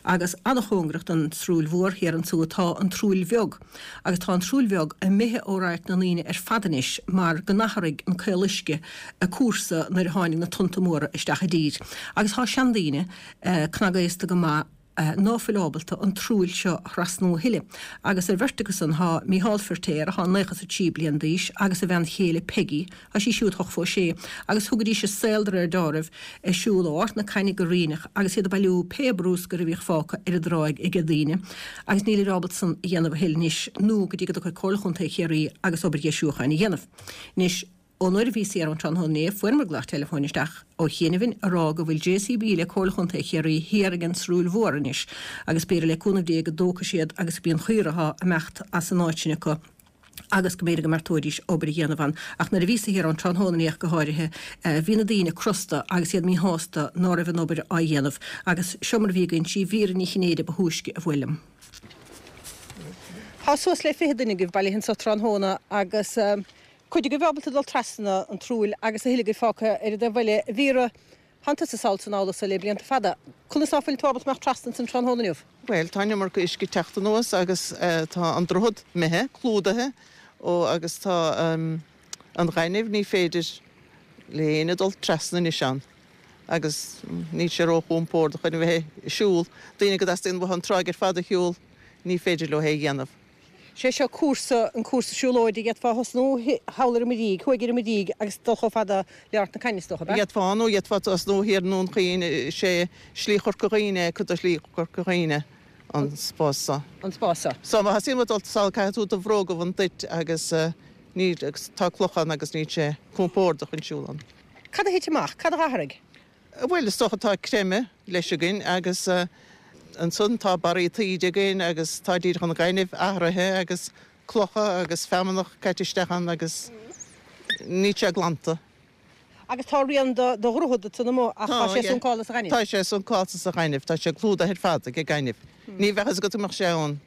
Agus ana-chóngarach don tsrúill mhór thiar ansúd tá an tsrúill bheag. Agus tá an tsrúill bheag imithe ó radharc na ndaoine ar fad anois mar go n-athraigh an caoluisce a cúrsa nuair a tháinig na tonnta móra isteach i dtír. Agus thá seandaoine, cnagaosta go maith, ná fuil ábalta an tsrúill seo a thrasnú a thuilleadh. Agus ar bheirt acu san thá Mícheál Firtéar, athá 93 bliain d'aois, agus a bhean chéile Peigí, thá sí siúd hochtmhó sé, agus thugaidís a saol de réir deáraimh ag siúl ó Art na Caithne go Ríneach agus iad ag bailiú pé brúscar a bhíodh fágtha ar an dtráigh aige daoine, agus nílid ábalta san a dhéanamh a thuilleadh anois nó go dtí go dtiocfaidh Comhairle Chontae Chiarraí agus obair dheisiúcháin a dhéanamh. Anois. Ón uair a bhíos thiar ann tráthnóna inné, fuaireamar glaoch teileafóin isteach ó chianaibh ag rá go bhfuil JCB le Comhairle Chontae Chiarraí thiar ag an Srúill Mhór anois agus b'fhéidir le cúnamh Dé go dtógfaidh siad agus go mbí an chaora athá imeacht as an áit sin acu agus go mb'fhéidir go mbeartóidís obair a dhéanamh ann. Ach nuair a bhíos thiar ann tráthnóna inné ach go háirithe, bhí na daoine crosta agus iad míshásta ná raibh an obair á dhéanamh. Agus seo mar a bhí ag inse, Vera Ní Chinnéide ba thúisce a bhuail liom. Tá suas le 20 duine agaibh bailithe anso tráthnóna agus. Cuid agaibh ábalta dul trasna an tsrúill agus a thuilleadh agaibh fágtha ar an dtaobh eile. A Mhíra, thánn tusa sall san abhla so le blianta fada. Conas ná fuil tú ábalta imeacht trasna ansan tráthnóna inniu? Bhuel, tá an iomarca uisce ag teacht anuas agus tá an droichead imithe, clúdaithe, ó agus tá an ghaineamh, ní féidir le héinne dul trasna anois ann agus níl sé ró-chompordach chun a bheith ag siúl. Daoine go dteastaíonn uathu an tráigh ar fad a shiúl, ní féidir leo é a dhéanamh. Sé seo cúrsa, an cúrsa siúlóide, d'fhéadfá thosnú thall ar an Muirígh, thuaidh ar an Muirígh agus dul chomh fada le Ard na Caithne is dócha, ab ea? D'fhéadfá nó d'fhéadfá tosnú thiar i nDún Chaoin, is é Slí Chorca Dhuibhne é, cuid de Shlí Chorca Dhuibhne an spás seo. An spás seo. So má thosaíonn muid dul sall caithfidh tú do bhróga a bhaint duit agus níl, agus tá clocha ann agus níl sé compordach chun siúl ann. Cad a thit amach? Cad a dh'athraigh? Bhuel, is dócha tá creimeadh leis againn agus ansan tá barraí taoide againn agus tá díreach an ghainimh athraithe agus clocha agus feamnach caite isteach ann agus níl sé glanta. Agus tá rian do dhroichead ansan amuigh ach tá sé suncálta sa ghaineamh. Tá sé suncálta sa ghaineamh, tá sé clúdaithe ar fad ag an gaineamh. Ní bheadh fhios agat go mbeadh sé ann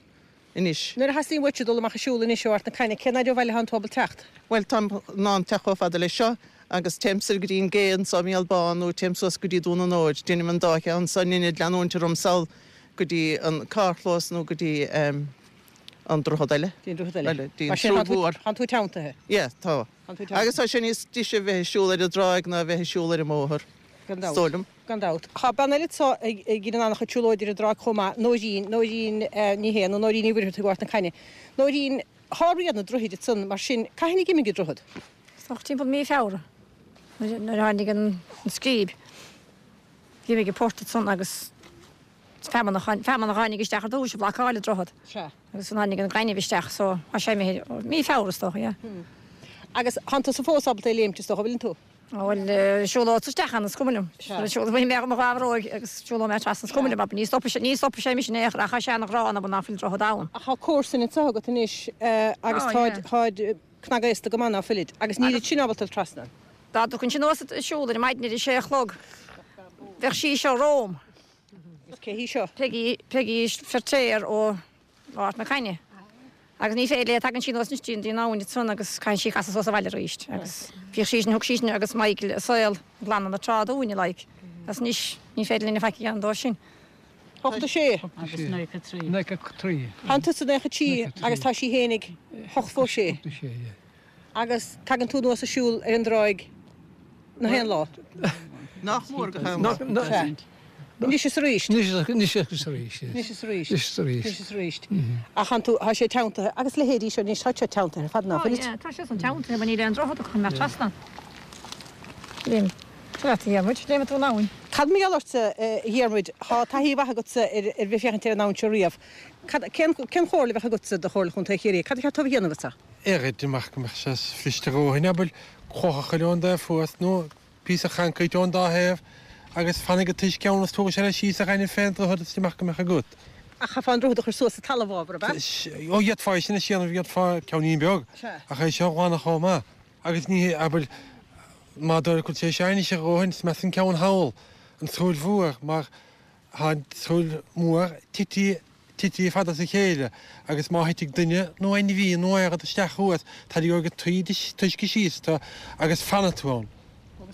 anois. Nuair a theastaíonn uaitse dul amach ag siúl anois ó Ard na Caithne, cén fhaid ó bhaile thánn tú ábalta teacht? Bhuel, táim in ann teacht chomh fada leis seo. Agus téim soir go dtí an gcé anso i Míol Bán nó téim suas go dtí Dún an Óir. Déanaim an dá cheann so in ionad leanúint orm sall go dtí an carrchlós nó go dtí an droichead eile. Dtí an droichead eile. Dtí an tSrúill Mhór. Tánn tú teanntaithe. Yeah, tá. Agus tá sé níos deise a bheith ag siúl ar an dtráigh ná a bheith ag siúl ar an mbóthar. Gan dabht. Is dóigh liom. Gan dabht. Tá bean eile anseo a dheineann an-chuid siúlóide ar an dtráigh chomh maith, Nóirín, Nóirín Ní Shé nó Nóirín Ní Mhuircheartaigh ó Ard na Caithne. Nóirín, thá rian an droichid ansan, mar sin, cathain a d'imigh an droichead? Is dócha timpeall mí Feabhra, nuair a tháinig an scríb, d'imigh an port ansan agus feamainn a tháinig isteach ar dtúis a bhlocáil an droichead. Sea. Agus tháinig an gaineamh isteach so tá sé imithe, mí Feabhra is dócha, yeah. Agus thánn tusa fós ábalta é léimt is dócha, bhfuileann tú? Bhuel, siúlódsa isteach ann, is cuma liom. Siúlóidh mé mo dha bhróig agus siúlóidh mé trasna, is cuma liom, abair, ní stopfaidh sé, ní stopfaidh sé mise in aon chor, ach tá sé ana ghránna, abair, ná fuil droichead ann. Ach tá comharsain anseo agat anois agus táid, táid cnagaosta go maith ná fuilid, agus nílid sin ábalta dul trasna. Dá dtiocfainnse anuas ag siúl ar maidin ar a sé a chlog, bheadh sí seo romham. Agus cé hí seo? Peggy, Peggy Feirtéar ó Ard na Caithne. Agus ní féidir léi, tagann sí anuas anois dtí an abhainn ansan agus caitheann sí casadh suas abhaile arís. Agus bhíodh sí sin, thug sí sin agus Michael a saol ag glanadh na trá dúinne, like. Agus anois ní féidir linn faic a dhéanamh dóibh sin. 86. Agus 93. 93. Tánn tusa 93 agus tá sí fhéinig 86. 86, yeah. Agus tagann tú anuas ag siúl ar an dtráigh na haon lá? Nach mór gach aon lá. Sea. Anois is arís. Anois is arís. Anois is arís. Anois is arís. Anois is arís. Ach tánn tú, tá sé teanntaithe, agus leithéidí seo anois, tá seo teanntaithe ar fad ná fuil? Tá, yeah, tá sé san teanntaithe, mar níl aon droichead acu chun imeacht trasna. Léim, cad leat a Dhiarmuid, léimfidh tú an abhainn. Cad mar gheall ortsa, a Dhiarmuid, tá taithí mhaith agatsa ar ar bheith féachaint ar an abhainn seo riamh. Cad, cén, cén chomhairle a bheadh agatsa do Chomhairle Chontae Chiarraí? Cad a cheart dóibh a dhéanamh anseo? Oiread amach go mbeadh sé fliste a dhóthain, abair, cloch a chur ón dtaobh thuas nó píosa choincréit ón dá thaobh agus fanfaidh an t-uisce ann is tabharfaidh sé leis síos an ghaineamh fén droichead is amach go mbeadh agat. Ach chaithfeá an droichead a chur suas sa talamh, ábhar, ab ea? Ó, d'fhéadfá é sin a dhéanamh, d'fhéadfá ceainnín beag, ach é seo a ghlanadh chomh maith. Agus ní hé, abair, má d'oirfeadh sé seo anois a dhóthain, is measa an ceann thall, an tSrúill Mhór, mar tá an tSrúill Mhór tití tití fada as a chéile agus má thitfidh duine nó ainmhí nó aon rud isteach thuas, tarraingeoidh an t-uisce síos tú agus fanfaidh tú ann.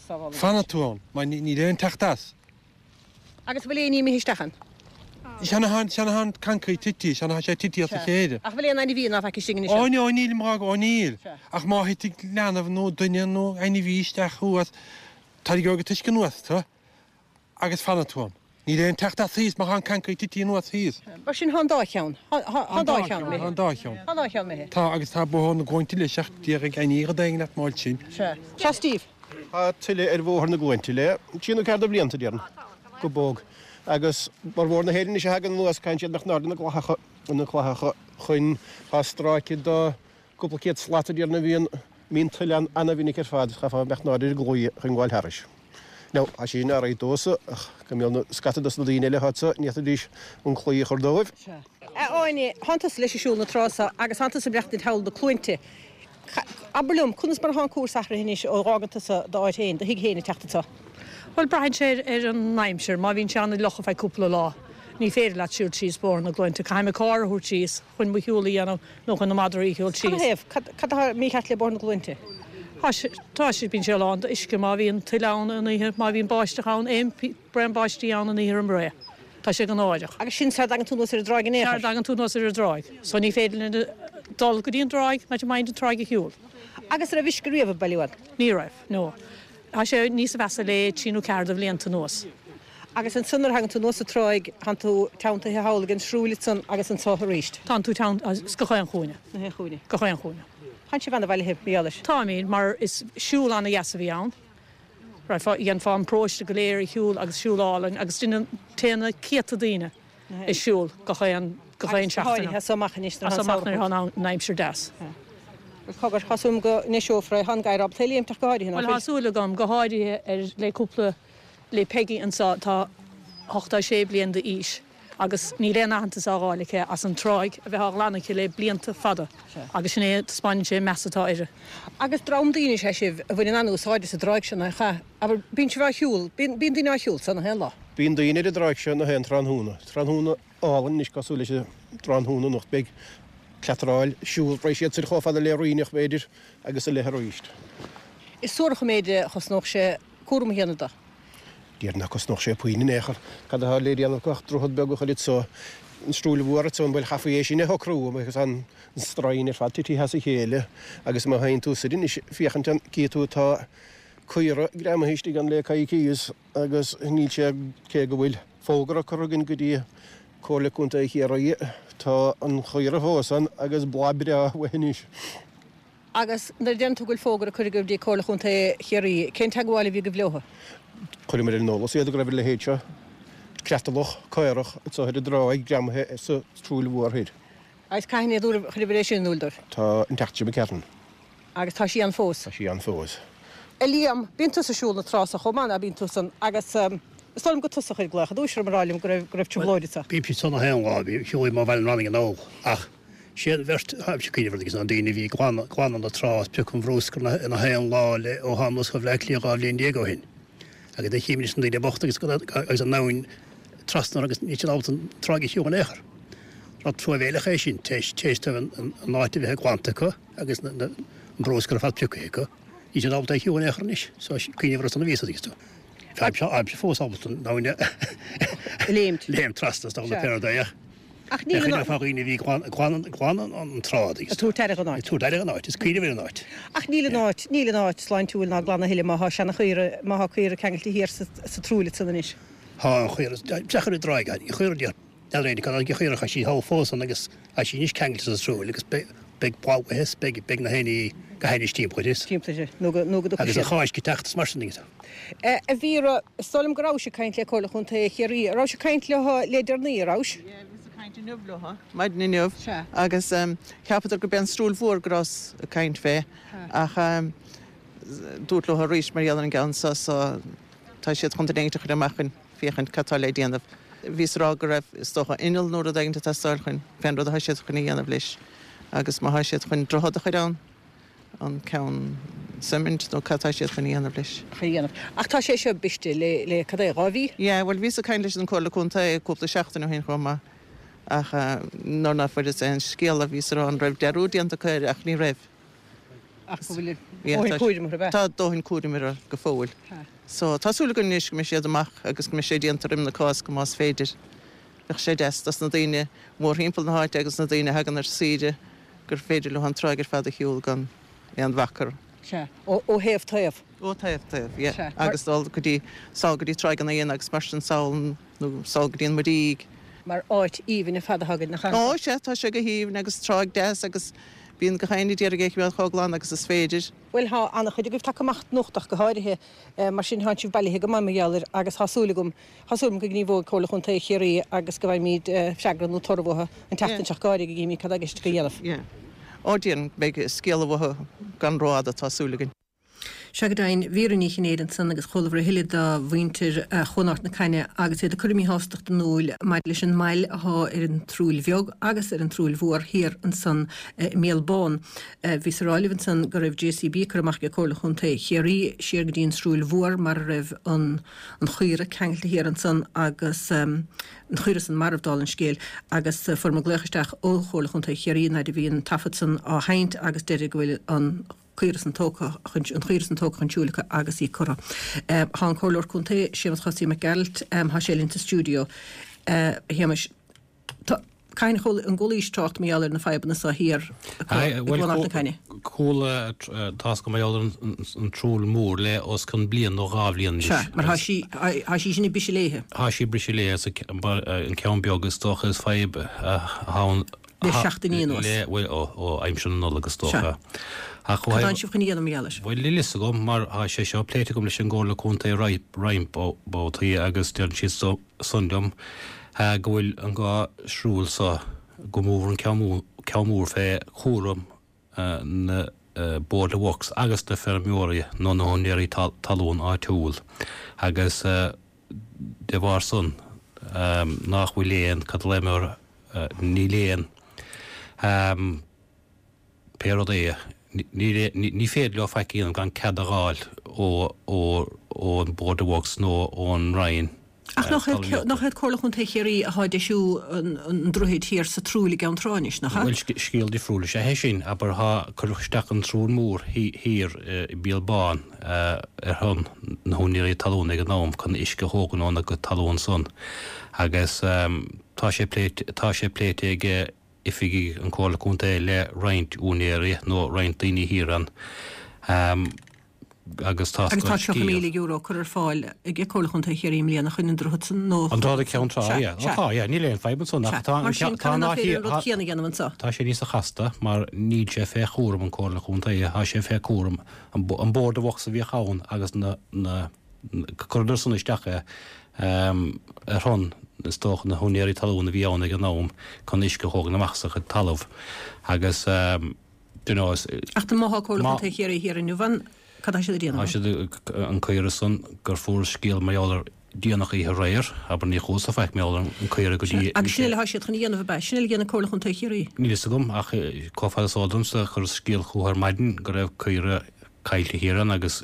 Fanfaidh tú ann, mar níl aon teacht as. Agus an bhfuil éinní imithe isteach ann? Sea, sea tá an coincréit tití, sea tá sé tití as a chéile. Ach an bhfuil aon ainmhí ná faic istigh anois ann? Ó no, nílim ag rá, ó níl. Ach má thitfidh leanbh nó duine nó ainmhí isteach thuas, tarraingeoidh an t-uisce anuas tú. agus fanfaidh tú ann. Níl aon teacht as thíos mar tá an coincréit tití anuas thíos. Mar sin tá an dá cheann. Tá an dá cheann imithe. Tá an dá cheann. Tá an dá cheann imithe. Tá agus tá Bóthar na gCluainte leis ach déarfaidh éinní rud éigin leat mar sin. Sea. Sea Steve. Tá tuile ar Bhóthar na gCluainte le trí nó ceathair de bhlianta, déarfainn, go bog. Agus formhór na héireann anois a thagann anuas, caitheann siad imeacht in airde na gclathacha, na clathacha chun, tá stráice de Cúpla céad slat a déarfainn a bhíonn, mbíonn tuile ann ana-mhinic ar fad, chaithfeá imeacht in airde ar an gclaí chun gabháil thairis. Now, tá sé sin alright domhsa, ach go mbeadh na scata dos na daoine eile atá anso, ní fhéadfaidís an claí a chur dóibh. Sea. A Áine, thánn tusa leis ag siúl na trá so agus thánn tusa ag maireachtaint thall na Cluainte. Abair liom, conas mar atá an cúrsa athraithe anois ó dh'fhágann tusa d'áit féin, do thigh féin ag teacht anso? Bhuel, braitheann sé ar an aimsir. Má bhíonn sé an-fhliuch ar feadh cúpla lá, ní féidir leat siúl síos Bóthar na gCluainte. Caithfidh mé carr a thabhairt síos chun mo shiúl a dhéanamh nó chun na madraí a shiúl síos. Cad a thaobh? Cad atá mícheart le Bóthar na gCluainte? Tá sé, tá sé, bíonn sé lán d'uisce má bhíonn tuile ann an oíche, má bhíonn báisteach ann, aon braon báistí ann an oíche roimh ré, tá sé go náireach. Agus sin sara dtagann tú anuas ar an dtráigh in aon chor? Sara dtagann tú anuas ar an dtráigh. So ní féidir linn dul go dtí an dtráigh, not mind an tráigh a shiúl. Agus an raibh uisce riamh ag bailiú ann? Ní raibh, no. Tá sé níos mheasa le trí nó ceathair de bhlianta anuas. Agus ansan nuair a thagann tú anuas an tráigh, tánn tú teanntaithe thall ag an Srúill ansan agus anso aríst. Tánn tú teanntaithe gach aon chúinne. Gach aon chúinne. Gach aon chúinne. Tánn sibh ana-bhailithe, mar gheall air. Táimid, mar is siúl ana-dheas a bhí ann. Dhéanfá an paróiste go léir a shiúl agus siúl álainn agus téann na céadta daoine ag siúl gach aon gach aon Agus go seachtain. háirithe as so amach anois nuair As atá so an amach nuair samhradh atá an aimsir deas. Bhuel cogar, tá súil agam go ndeiseofar é. Tá an gadhar ábalta é a léimt ach go háirithe, ná Bhuel tá fuil? súil agam, go háirithe ar le cúpla le Peggy anso atá 86 bliain d'aois agus níl aon aitheantas á fháil aici as an tráigh a bheith á ghlanadh aici le blianta fada agus sin é, taispeáineann sé an meas atá uirthi. Agus dream daoine is ea sibh a bhaineann an-úsáid as an dtráigh seo, nach ea? Abair, bíonn sibh á shiúl, bíonn daoine á shiúl anso nach aon lá? Bíonn daoine ar an dtráigh seo nach aon tráthnóna. Tráthnóna álainn anois cosúil leis an tráthnóna anocht beidh cleatráil, siúl, raghaidh siad soir chomh fada le Ríneach b'fhéidir agus i leith arís. Is suarach an méid a chosnódh sé cúram a dhéanamh de. Déarfainn nach gcosnódh sé puinn in aon chor. Cad atá le déanamh acu ach droichead beag a chur anso, an Srúill Mhór ansan, bhuel chaithfí é sin a shocrú agus an stroighin ar fad titithe as a chéile agus má théann tú soir anois féachaint ann cífidh tú tá caora greamaithe istigh ann le coicíos agus níl sé cé go bhfuil fógra curtha againn go dtí Comhairle Contae Chiarraí tá an chaora fós ann agus boladh breá uaithi anois. Agus nuair a deireann tú go bhfuil fógra curtha agaibh go dtí Comhairle Chontae Chiarraí, cén teagmháil a bhí agaibh leothu? Chuireamar ar an eolas iad go raibh a leithéid seo, creatalach caorach anso ar an dtráigh greamaithe sa tSrúill Mhór Thoir. Agus cathain a chuireabhair é sin in iúl dóibh? Tá an tseachtain seo imigh tharainn. Agus tá sí ann fós? Tá sí ann fós. A Liam, bíonn tusa ag siúl na trá so chomh maith, ná bíonn tusa? Agus is dóigh liom gur tusa a chuir glaoch i dtús orm a rá liom go raibh, go raibh trioblóid anso. Bímse ansan na haon lá, siúlaim ó Bhaile an Bhranaigh anall ach Sé an bheirt atáimse ag cuimhneamh orthu agus ná daoine a bhí ag glanadh na trá is piocadh an bhrúscair na haon lá le ó thána anuas go Bhleá Cliath 12 bhliain ó shin. Agus do chím anois na daoine bochta agus agus an abhainn trasna orthu agus níl siad ábalta an tráigh a shiúl in aon chor. Rud truamhéileach é sin, tar éis dóibh an áit a bheith glanta acu agus an brúscar ar fad pioctha acu. Níl siad ábalta é a shiúl in aon chor anois. So cuimhneamh orthu san a bhíos agus tú. Táimse fós ábalta an abhainn a léimt trasna is dócha pé rud é ach. Ach níl an. Fá dhaoine a bhí ag glanadh an trá agus. Ag tabhairt aire don áit. Ag tabhairt aire don áit, is cuimhneamh ar an áit. Ach níl an áit, níl an áit sláintiúil ná glan a thuilleadh má thá seana-chaora, má thá caora ceangailte thiar sa, sa tsrúill ansan anois. Thá an chaora, deacair a dtráigh, an chaora dear, n'fheadar éinne cad an chaora, thá sí thall fós ann agus thá sí anois ceangailte sa tsrúill agus beidh, beidh boladh uaithi is beidh, beidh na héinní go hainnis timpeall uirthi is. Timpeall uirthi, nó go, nó go dtiocfaidh siad. Agus an Cháisc ag teacht is mar sin agus. A Mhíra, is dóigh liom go rabhais ag caint le Comhairle Chontae Chiarraí. An rabhais ag caint leo le deireanaí, an rabhais? Yeah, bhíos ag caint inniu leo, maidin inniu, agus cheapadar gurb é an Srúill Mhór go rabhas ag caint fé, ach dúrt leo arís mar gheall ar an gceann seo, so tá siad chun duine éigint a chur amach chun féachaint cad tá le déanamh. Bhíos ag rá go raibh, is dócha, inneall nó rud éigint ag teastáil chun fén rud atá siad chun a dhéanamh leis, agus má thá siad chun droichead a chur ann, an ceann suimint nó cad tá siad chun a dhéanamh leis. chun a dhéanamh. Ach tá sé seo briste le, le, cad é, 2 mhí? Yeah, bhuel bhíos ag caint leis an Comhairle Contae cúpla seachtain ó shin chomh maith ach nuair ná fuaireas aon scéala bhíos ag rá an raibh dearúd déanta acu air ach ní raibh. Ach go bhfuil dóthain cúraim orthu, ab ea? Tá dóthain cúraim orthu go fóill. So tá súil againn anois go mbeidh siad amach agus go mbeidh sé déanta roim na Cásca más féidir. Bheadh sé deas dos na daoine mórthimpeall na háite agus na daoine a thagann ar saoire gur féidir leo an tráigh ar fad a shiúl gan aon bhac orthu. Sea. Ó thaobh taobh. Ó thaobh taobh, yeah. Sea. Agus dul go dtí, sall go dtí Tráigh an Éin agus mar sin sall nó sall go dtí an Muirígh. Mar áit aoibhinn ar fad atá againn, nach ea? Ó, sea, tá sé go haoibhinn agus tráigh deas agus bíonn gach éinne ag iarraidh é a choimeád chomh glan agus is féidir. Bhuel, thá an-chuid agaibh tagtha amach anocht ach go háirithe, mar sin thánn sibh bailithe go maith mar gheall air agus thá súil agam, Tá súil agam go ngníomhóidh Comhairle Chontae Chiarraí agus go bhfaighimid freagra nó toradh uathu an tseachtain seo go háirithe go gcífimid cad tá i gceist acu a dhéanamh. Ó déarfainn go mbeidh scéala uathu gan rófhada, tá súil againn. Sea go deimhin, Vera Ní Chinnéide ansan agus chualabhar a thuilleadh de mhuintir Chuan Ard na Caithne agus iad ag cur a míshástacht in iúil maidir leis an mbail athá ar an tSrúill Bheag agus ar an tSrúill Mhór thiar ansan i mBéal Bán. Bhíos a rá libh ansan go raibh JCB curtha amach ag Comhairle Chontae Chiarraí siar go dtí an tSrúill Mhór mar a raibh an an chaora ceangailte thiar ansan agus an chaora san marbh, dála an scéil, agus fuair muid glaoch isteach ó Chomhairle Chontae Chiarraí an fhaid a bhí an taifead san á sheinnt agus deirid go bhfuil an caora san tógtha chun an chaora san tógtha chun siúil acu agus í curtha. Tá an Comhairleoir Contae, Séamus Chosaí Mac Gearailt, tá sé linn sa stiúideo. A Shéamais. Tá, cathain a chuala, an gcualaís trácht mar gheall ar na fadhbanna so thiar i gCuan Ard na Caithne? Chuala, tá's agam mar gheall ar an tSrúill Mhór le os cionn bliain nó dhá bhliain anois. Sea, mar thá sí, thá sí sin ag briseadh léithe. Thá sí ag briseadh léithe, so an ceann beag is dócha is fadhb ann. Le seachtainí anuas. Le, bhuel, ó, ó aimsir na Nollag is dócha. Sea. Ach Cad tánn sibh chun a dhéanamh mar gheall air? Bhuel, níl fhios agam mar thá sé seo pléite agam leis an gComhairle Contae roinnt babhtaí agus deireann siad so, san liom go bhfuil an dhá shriúil so, go mór an ceann mór fé chúram na Board of Works agus na feirmeoirí nó na húinéirí talún áitiúil agus de bharr san nách bhfuil aon, cad a léim air, níl aon. Pé rud é, ní féidir leo faic a dhéanamh gan cead a dh'fháil ón Board of Works nó ón Roinn. Ach nach iad, nach iad Comhairle Chontae Chiarraí athá ag deisiú an droichid thiar sa tSrúill i gCeann Trá anois, nach ea? Bhuel, scéal difriúil is ea é sin. Abair, thá, cuireadh isteach an tSrúill Mhór thiar i Béal Bán ar shon na húinéirí talún ag an am chun uisce a thógaint óna gcuid talún san agus tá sé pléite, tá sé pléite ag oifigigh an Chomhairle Contae le roinnt úinéirí nó roinnt daoine thiar ann. Agus tá Agus tá €30,000 curtha ar fáil ag Comhairle Chontae Chiarraí i mbliana chun an droichead san nó An droichead ag Ceann Trá, yeah. Ó tá, yeah, níl aon fadhb ansan ach tá Mar sin, tá an nach féidir an rud céanna a dhéanamh anso? Tá sé níosa chasta mar níl sé fé chúram an Comhairle Chontae, tá sé fé chúram an Board of Works a bhíodh ann agus na, na, chuireadar san isteach é ar shon, is dócha, na húinéirí talún a bhí ann ag an am chun uisce a thógaint amach as a gcuid talamh agus. you know, is. Ach dá mba Comhairle Chontae Chiarraí thiar inniu ann, cad tá siad a déanamh Tá siad, an caora san, gur fuarthas scéal mar gheall air déanach oíche aréir, abair ní chuala faic mar gheall ar an caora go dtí. Agus sin uile atá siad chun a dhéanamh, ab ea? Sin uile a dhéanann Comhairle Chontae Chiarraí? Níl fhios agam, ach chomh fada is eol domsa, chuireas scéal chucu ar maidin go raibh caora caillte thiar ann agus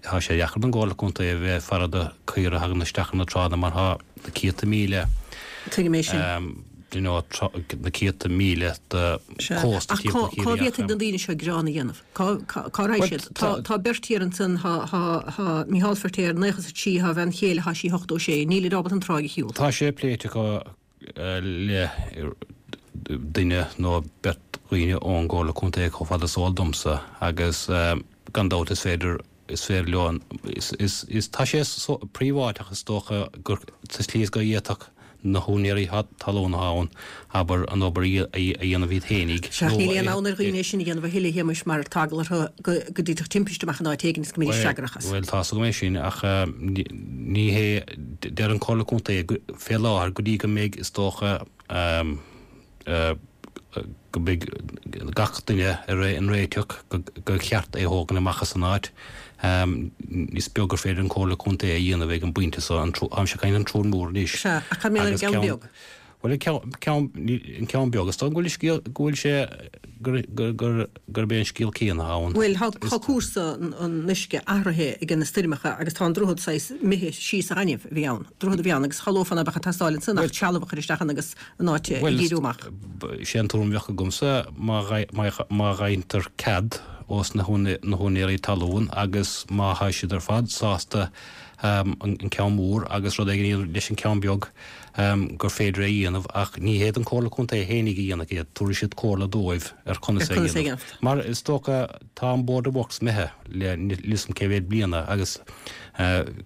tá sé deacair don gComhairle Contae a bheith ag faire do caora a thagann isteach ar na tránna mar tá na céadta míle Tuigim é sin. you know, na céadta míle de chósta Ach timpeall cá Chiarraí ach bhféadfaidh na daoine seo gearán a dhéanamh? Cá cá raghaidh siad? Tá tá beirt thiar ansan, thá thá thá Micheál Feirtéar 93, thá a bhean chéile, thá sí 86, nílid ábalta an tráigh a shiúl. Tá sé pléite acu le duine nó beirt dhaoine ón gComhairle Contae chomh fada is eol domsa agus gan dabht is féidir, is féidir leo an, is, is, is, tá sé príobháideach is dócha gur sa tslí is go bhféadfadh na húinéirí talún atá ann, abair, an obair a dhéanamh iad fhéinig Sea, níl aon fhonn ar dhaoine é sin a dhéanamh a thuilleadh, a Shéamuis, mar tá eagla orthu go go dtitfeadh timpiste amach in áit éigin is go mbeidís freagrach as. Bhuel, tá's agam é sin ach ní hé, deir an Comhairle Contae fé láthair go dtí go mbeidh, is dócha, go mbeidh gach duine ar aon réiteach gur cheart é a thógaint amach as an áit. Is beag gur féidir an Comhairle Contae a dhéanamh ag an bpointe so. Táimse ag caint an tSrúill Mhór anois. Sea, ach cad mar gheall ar an gceann beag? Bhuel, an ceann beag, is dóigh go bhfuil scéal, go bhfuil sé, gurb é an scéal céanna ann. Bhuel, tá cúrsa an uisce athraithe ag na stoirmeacha agus tá an droichead saghas imithe síos sa ghaineamh a bhí ann. Droichead a bhí ann agus shamhlófá ná beadh ag teastáil ansan ach trealamh a chur isteach ann agus an áit a dhíriú amach. Bhuel, sé an tuairim a bheadh agamsa má fhaightear cead ós na húinéirí talún agus má thá siad ar fad sásta an ceann mór agus rud éigin a dhéanamh leis an ceann beag, gur féidir é a dhéanamh ach ní hiad an Comhairle Contae fhéinig a dhéanfaidh é, tabharfaidh siad comhairle dóibh ar conas é a dhéanamh. Mar is dócha tá an Board of Works imithe le níl 'fhios a'm cé mhéad bliana agus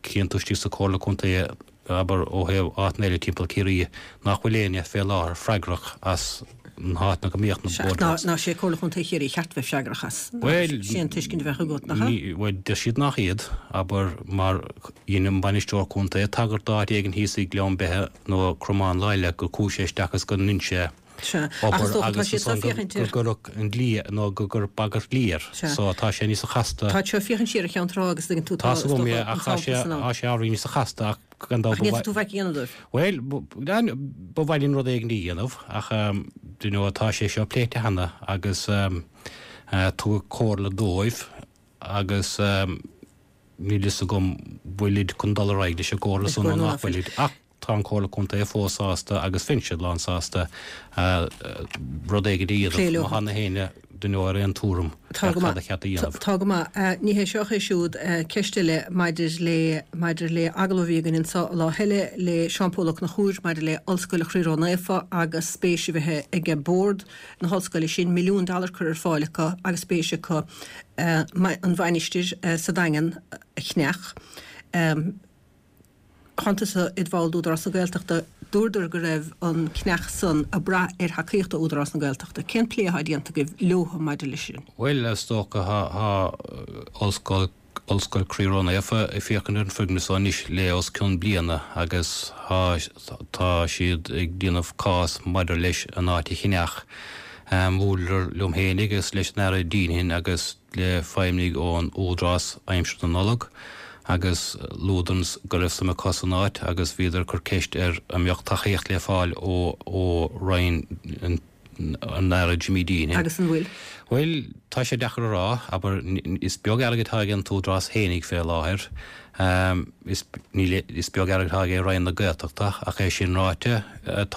cíonn tú istigh sa Chomhairle Contae abair ó thaobh áiteanna eile timpeall Ciarraí nach bhfuil éinne fé láthair freagrach as na háiteanna go mbíodh na Board of Works. Ná sé Comhairle Chontae Chiarraí cheart bheith freagrach as. Bhuel, Sé an tuiscint a bheadh agat, nach ea? Bhuel, deir siad nach iad, abair, mar Dhein an bainisteoir contae tagairt d'áit éigin thíos i nGleann Beithe nó Cromán lá eile gur chuaigh sé isteach is go ndein sé Sea, ach is obair dócha tá agus siad seo ansan go féachaint ar. go gcuireadh an dlí nó go gcuireadh bagairt dlí air. Sea. So tá sé níosa chasta. Tá siad féachaint siar ar Cheann Trá agus tuigeann tú tá, Tá's is agam dócha, é an ach tá sé sampla san ann. tá sé ábhairín níosa chasta ach gan dabht Ach ba ní mhaith tú faic a dhéanamh dóibh. Bhuel, ba mhaith linn rud éigin a dhéanamh ach you know tá sé seo pléite cheana agus tugadh comhairle dóibh agus Níl fhios agam bhfuilid chun dul ar aghaidh leis an gcomhairle san nó nach bhfuilid, ach tá an Comhairle Contae fós sásta agus bheinn lán sásta rud éigin a dhéanamh má tá na héinne duine ar aon tuairim ar cad a cheart a dhéanamh. Tá go maith. Ní hé seo ach é siúd. Ceist eile maidir le maidir le agallamh a bhí againn anseo lá eile le Seán Pól Ó Conchúir maidir le Ollscoil Chroí Ró-Naofa agus spéis a bheith ag Bord na hollscoile sin, milliún dollar curtha ar fáil acu agus spéis acu an mhainistir sa Daingean a cheannach. Tánn tusa id bhall d'Údarás na Gaeltachta, dúradar go raibh an ceannach san ag brath ar thacaíocht ó Údarás na Gaeltachta. Cén plé atá déanta agaibh leothu maidir leis sin? Bhuel, is dócha, tá ollscoil Ollscoil Croí Ró-Naofa ag féachaint ar an foirgneamh so anois le os cionn bliana agus tá siad ag déanamh cás maidir leis an áit a cheannach. Bhuaileadar liom fhéinig agus leis an Aire Deenihan agus le feidhmnigh ón Údarás aimsir na Nollag agus luadar go raibh suim acu san áit agus bhíodar ag cur ceist ar an mbeadh tacaíocht le fáil ó Roinn an. an Aire Jimmy Deenihan. Agus an bhfuil? Bhuel, tá sé deacair a rá, abair, is beag airgead atá ag an t-údarás fhéinig fé láthair. Is, níl, is beag airgead atá ag Roinn na Gaeltachta, ach é sin ráite, tá.